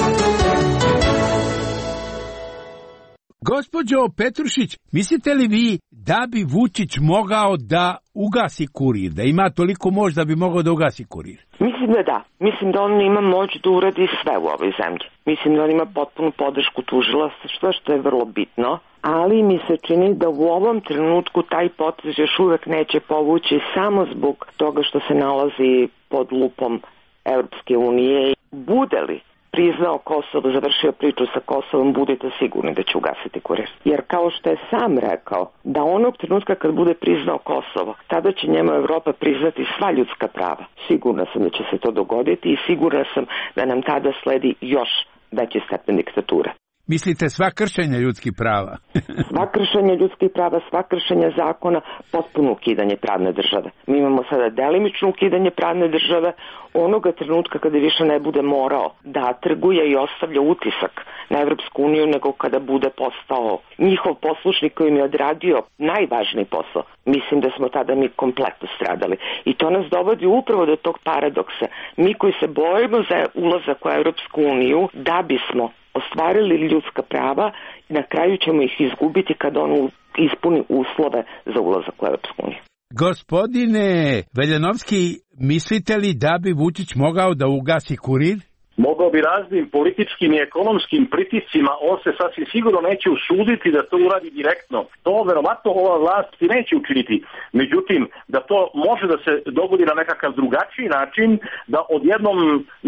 Gospođo Petrušić, mislite li vi da bi Vučić mogao da ugasi Kurir, da ima toliko moć da bi mogao da ugasi Kurir? Mislim da da. Mislim da on ima moć da uradi sve u ovoj zemlji. Mislim da on ima potpunu podršku tužilaštva, što je vrlo bitno, ali mi se čini da u ovom trenutku taj potez još uvek neće povući samo zbog toga što se nalazi pod lupom Evropske unije. Bude li priznao Kosovo, završio priču sa Kosovom, budite sigurni da će ugasiti Kurir. Jer kao što je sam rekao, da onog trenutka kad bude priznao Kosovo, tada će njemu Evropa priznati sva ljudska prava. Sigurna sam da će se to dogoditi i sigurna sam da nam tada sledi još veći stepen diktature. Mislite sva kršenja ljudskih prava? Sva kršenja ljudskih prava, sva kršenja zakona, potpuno ukidanje pravne države. Mi imamo sada delimično ukidanje pravne države onoga trenutka kada više ne bude morao da trguje i ostavlja utisak na Evropsku uniju, nego kada bude postao njihov poslušnik koji mi je odradio najvažniji posao. Mislim da smo tada mi kompletno stradali. I to nas dovodi upravo do tog paradoksa. Mi koji se bojimo za ulazak u Evropsku uniju, da bismo ostvarili ljudska prava, na kraju ćemo ih izgubiti kad on ispuni uslove za ulazak u Evropsku uniju. Gospodine Veljanovski, mislite li da bi Vučić mogao da ugasi Kurir? Mogao bi raznim političkim i ekonomskim pritiscima, on se sasvim sigurno neće usuditi da to uradi direktno. To verovatno ova vlast i neće učiniti. Međutim, da to može da se dogodi na nekakav drugačiji način, da odjednom,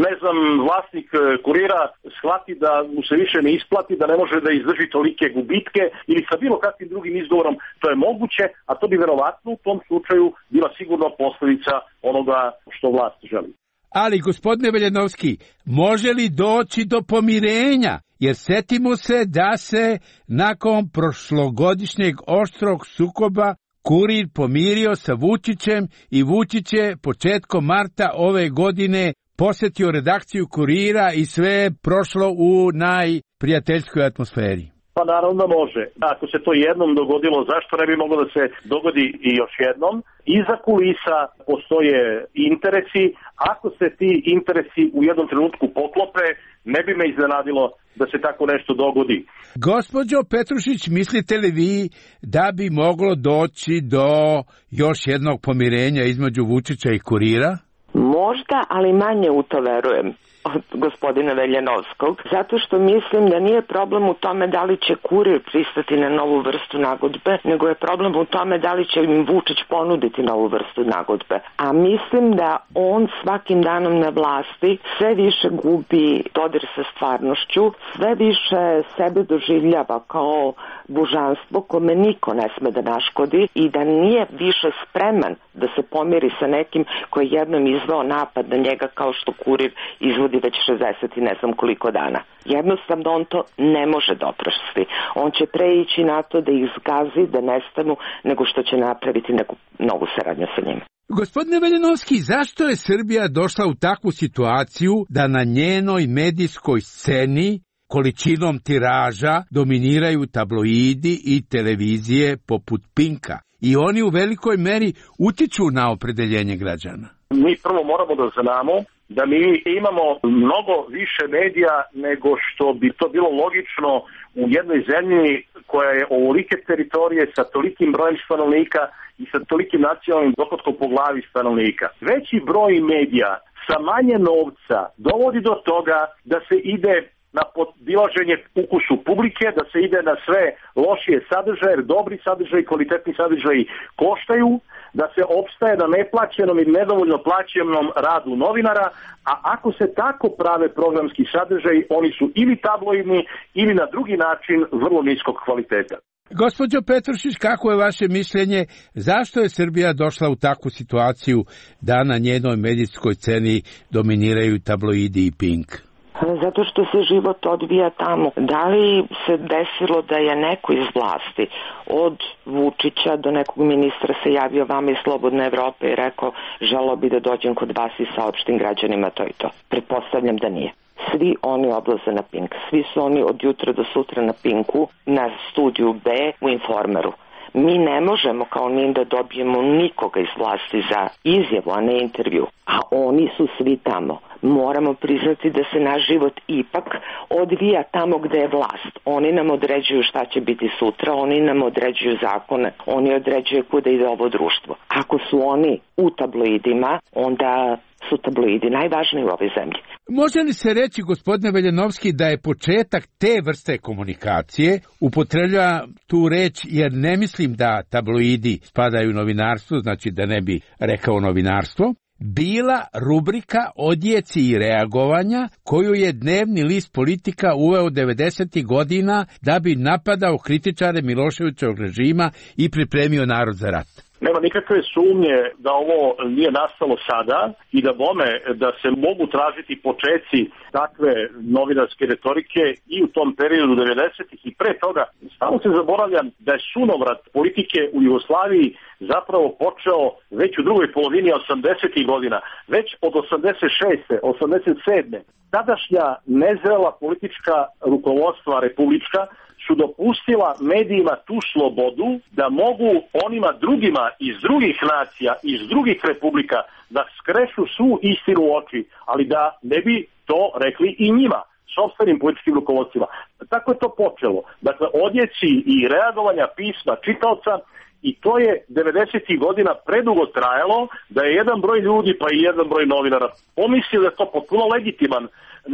ne znam, vlasnik Kurira shvati da mu se više ne isplati, da ne može da izdrži tolike gubitke ili sa bilo kakvim drugim izgovorom, to je moguće, a to bi verovatno u tom slučaju bila sigurno posledica onoga što vlast želi. Ali, gospodine Veljanovski, može li doći do pomirenja? Jer setimo se da se nakon prošlogodišnjeg oštrog sukoba Kurir pomirio sa Vučićem i Vučić je početkom marta ove godine posetio redakciju Kurira i sve je prošlo u najprijateljskoj atmosferi. Pa naravno može. Ako se to jednom dogodilo, zašto ne bi moglo da se dogodi i još jednom? Iza kulisa postoje interesi. Ako se ti interesi u jednom trenutku poklope, ne bi me iznenadilo da se tako nešto dogodi. Gospođo Petrušić, mislite li vi da bi moglo doći do još jednog pomirenja između Vučića i Kurira? Možda, ali manje u to verujem. od gospodina Veljanovskog, zato što mislim da nije problem u tome da li će Kurir pristati na novu vrstu nagodbe, nego je problem u tome da li će im Vučić ponuditi novu vrstu nagodbe. A mislim da on svakim danom na vlasti sve više gubi dodir sa stvarnošću, sve više sebe doživljava kao božanstvo kome niko ne sme da naškodi i da nije više spreman da se pomiri sa nekim koji je jednom izveo napad na njega kao što Kurir izvodi već šezdeset i ne znam koliko dana. Jednostavno on to ne može doprosti. On će preići na to da ih zgazi, da nestanu, nego što će napraviti neku novu saradnju sa njima. Gospodine Veljanovski, zašto je Srbija došla u takvu situaciju da na njenoj medijskoj sceni količinom tiraža dominiraju tabloidi i televizije poput Pinka i oni u velikoj meri utiču na opredeljenje građana? Mi prvo moramo da znamo da mi imamo mnogo više medija nego što bi to bilo logično u jednoj zemlji koja je ovolike teritorije sa tolikim brojem stanovnika i sa tolikim nacionalnim dohotkom po glavi stanovnika. Veći broj medija sa manje novca dovodi do toga da se ide na podilaženje ukusu publike, da se ide na sve lošije sadržaje, jer dobri sadržaji, kvalitetni sadržaji koštaju, da se opstaje na neplaćenom i nedovoljno plaćenom radu novinara, a ako se tako prave programski sadržaji, oni su ili tabloidni ili na drugi način vrlo niskog kvaliteta. Gospođo Petrušić, kako je vaše mišljenje, zašto je Srbija došla u takvu situaciju da na njenoj medijskoj sceni dominiraju tabloidi i Pink? Zato što se život odvija tamo. Da li se desilo da je neko iz vlasti od Vučića do nekog ministra se javio vama iz Slobodne Evrope i rekao želeo bi da dođem kod vas i saopštim građanima to i to? Pretpostavljam da nije. Svi oni odlaze na Pink. Svi su oni od jutra do sutra na Pinku, na studiju B u Informeru. Mi ne možemo kao NIN da dobijemo nikoga iz vlasti za izjavu, a ne intervju. A oni su svi tamo. Moramo priznati da se naš život ipak odvija tamo gde je vlast. Oni nam određuju šta će biti sutra, oni nam određuju zakone, oni određuju kuda ide ovo društvo. Ako su oni u tabloidima, onda su tabloidi najvažniji u ovoj zemlji. Može li se reći, gospodine Veljanovski, da je početak te vrste komunikacije, upotrebljava tu reč jer ne mislim da tabloidi spadaju u novinarstvo, znači da ne bi rekao novinarstvo, bila rubrika odjeci i reagovanja koju je dnevni list Politika uveo devedesetih godina da bi napadao kritičare Miloševićevog režima i pripremio narod za rat. Nema nikakve sumnje da ovo nije nastalo sada i da bome da se mogu tražiti počeci takve novinarske retorike i u tom periodu devedesetih i pre toga. Stalno se zaboravljam da je sunovrat politike u Jugoslaviji zapravo počeo već u drugoj polovini osamdesetih godina, već od osamdeset šeste, osamdeset sedme Tadašnja nezrela politička rukovodstva republička su dopustila medijima tu slobodu da mogu onima drugima iz drugih nacija, iz drugih republika da skrešu svu istinu u oči, ali da ne bi to rekli i njima, sopstvenim političkim rukovodstvima. Tako je to počelo. Dakle, odjeci i reagovanja pisma čitaoca, i to je devedesetih godina predugo trajalo da je jedan broj ljudi pa i jedan broj novinara pomislio da je to potpuno legitiman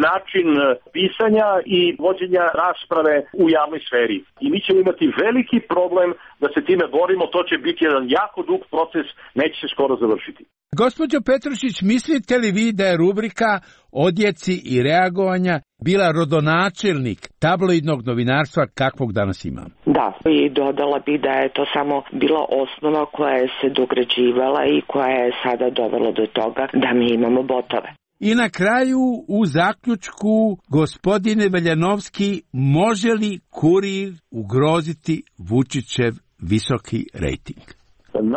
način pisanja i vođenja rasprave u javnoj sferi. I mi ćemo imati veliki problem da se time borimo, to će biti jedan jako dug proces, neće se skoro završiti. Gospođo Petrušić, mislite li vi da je rubrika odjeci i reagovanja bila rodonačelnik tabloidnog novinarstva kakvog danas imamo? Da, i dodala bi da je to samo bila osnova koja je se dograđivala i koja je sada dovela do toga da mi imamo botove. I na kraju, u zaključku, gospodine Veljanovski, može li Kurir ugroziti Vučićev visoki rejting?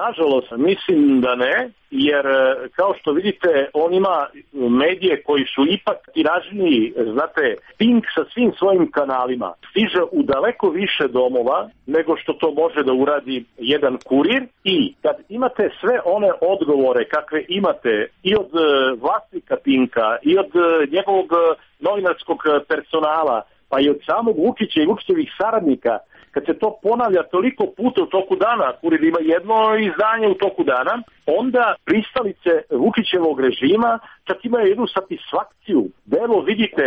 Nažalost, mislim da ne, jer kao što vidite, on ima medije koji su ipak tiražniji, znate, Pink sa svim svojim kanalima stiže u daleko više domova nego što to može da uradi jedan Kurir, i kad imate sve one odgovore kakve imate i od vlasnika Pinka i od njegovog novinarskog personala, pa i od samog Vučića i Vučićevih saradnika, kad se to ponavlja toliko puta u toku dana, Kurir ima jedno izdanje u toku dana, onda pristalice Vučićevog režima čak imaju jednu satisfakciju. Evo vidite,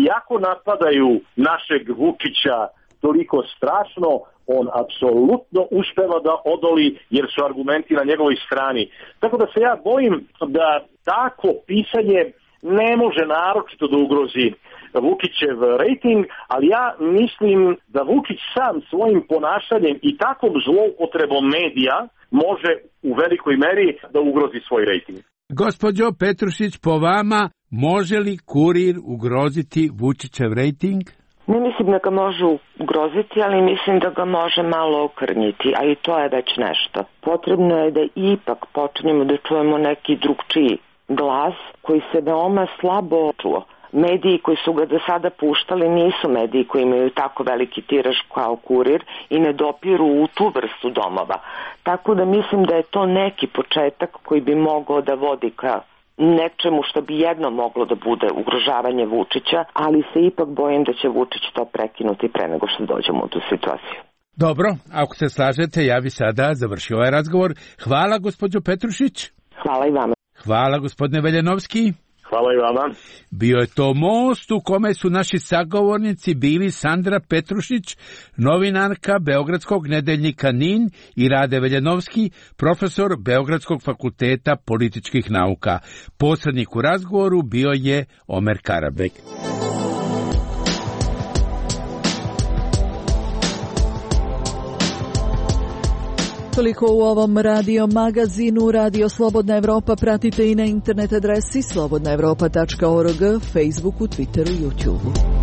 iako napadaju našeg Vučića toliko strašno, on apsolutno uspeva da odoli jer su argumenti na njegovoj strani. Tako da se ja bojim da tako pisanje ne može naročito da ugrozi Vučićev rejting, ali ja mislim da Vučić sam svojim ponašanjem i takvom zloupotrebom medija može u velikoj meri da ugrozi svoj rejting. Gospođo Petrušić, po vama može li Kurir ugroziti Vučićev rejting? Ne mislim da ga može ugroziti, ali mislim da ga može malo okrnjiti, a i to je već nešto. Potrebno je da ipak počnemo da čujemo neki drugčiji glas koji se veoma slabo čuo. Mediji koji su ga do sada puštali nisu mediji koji imaju tako veliki tiraž kao Kurir i ne dopiru u tu vrstu domova. Tako da mislim da je to neki početak koji bi mogao da vodi ka nečemu što bi jedno moglo da bude ugrožavanje Vučića, ali se ipak bojim da će Vučić to prekinuti pre nego što dođemo u tu situaciju. Dobro, ako se slažete, ja bi sada završio ovaj razgovor. Hvala, gospođo Petrušić. Hvala i vama. Hvala, gospodine Veljanovski. Hvala i vama. Bio je to most u kome su naši sagovornici bili Sandra Petrušić, novinarka Beogradskog nedeljnika N I N, i Rade Veljanovski, profesor Beogradskog fakulteta političkih nauka. Posrednik u razgovoru bio je Omer Karabek. Toliko u ovom radio magazinu. Radio Slobodna Evropa pratite i na internet adresi slobodna evropa tačka org, Facebooku, Twitteru i YouTubeu.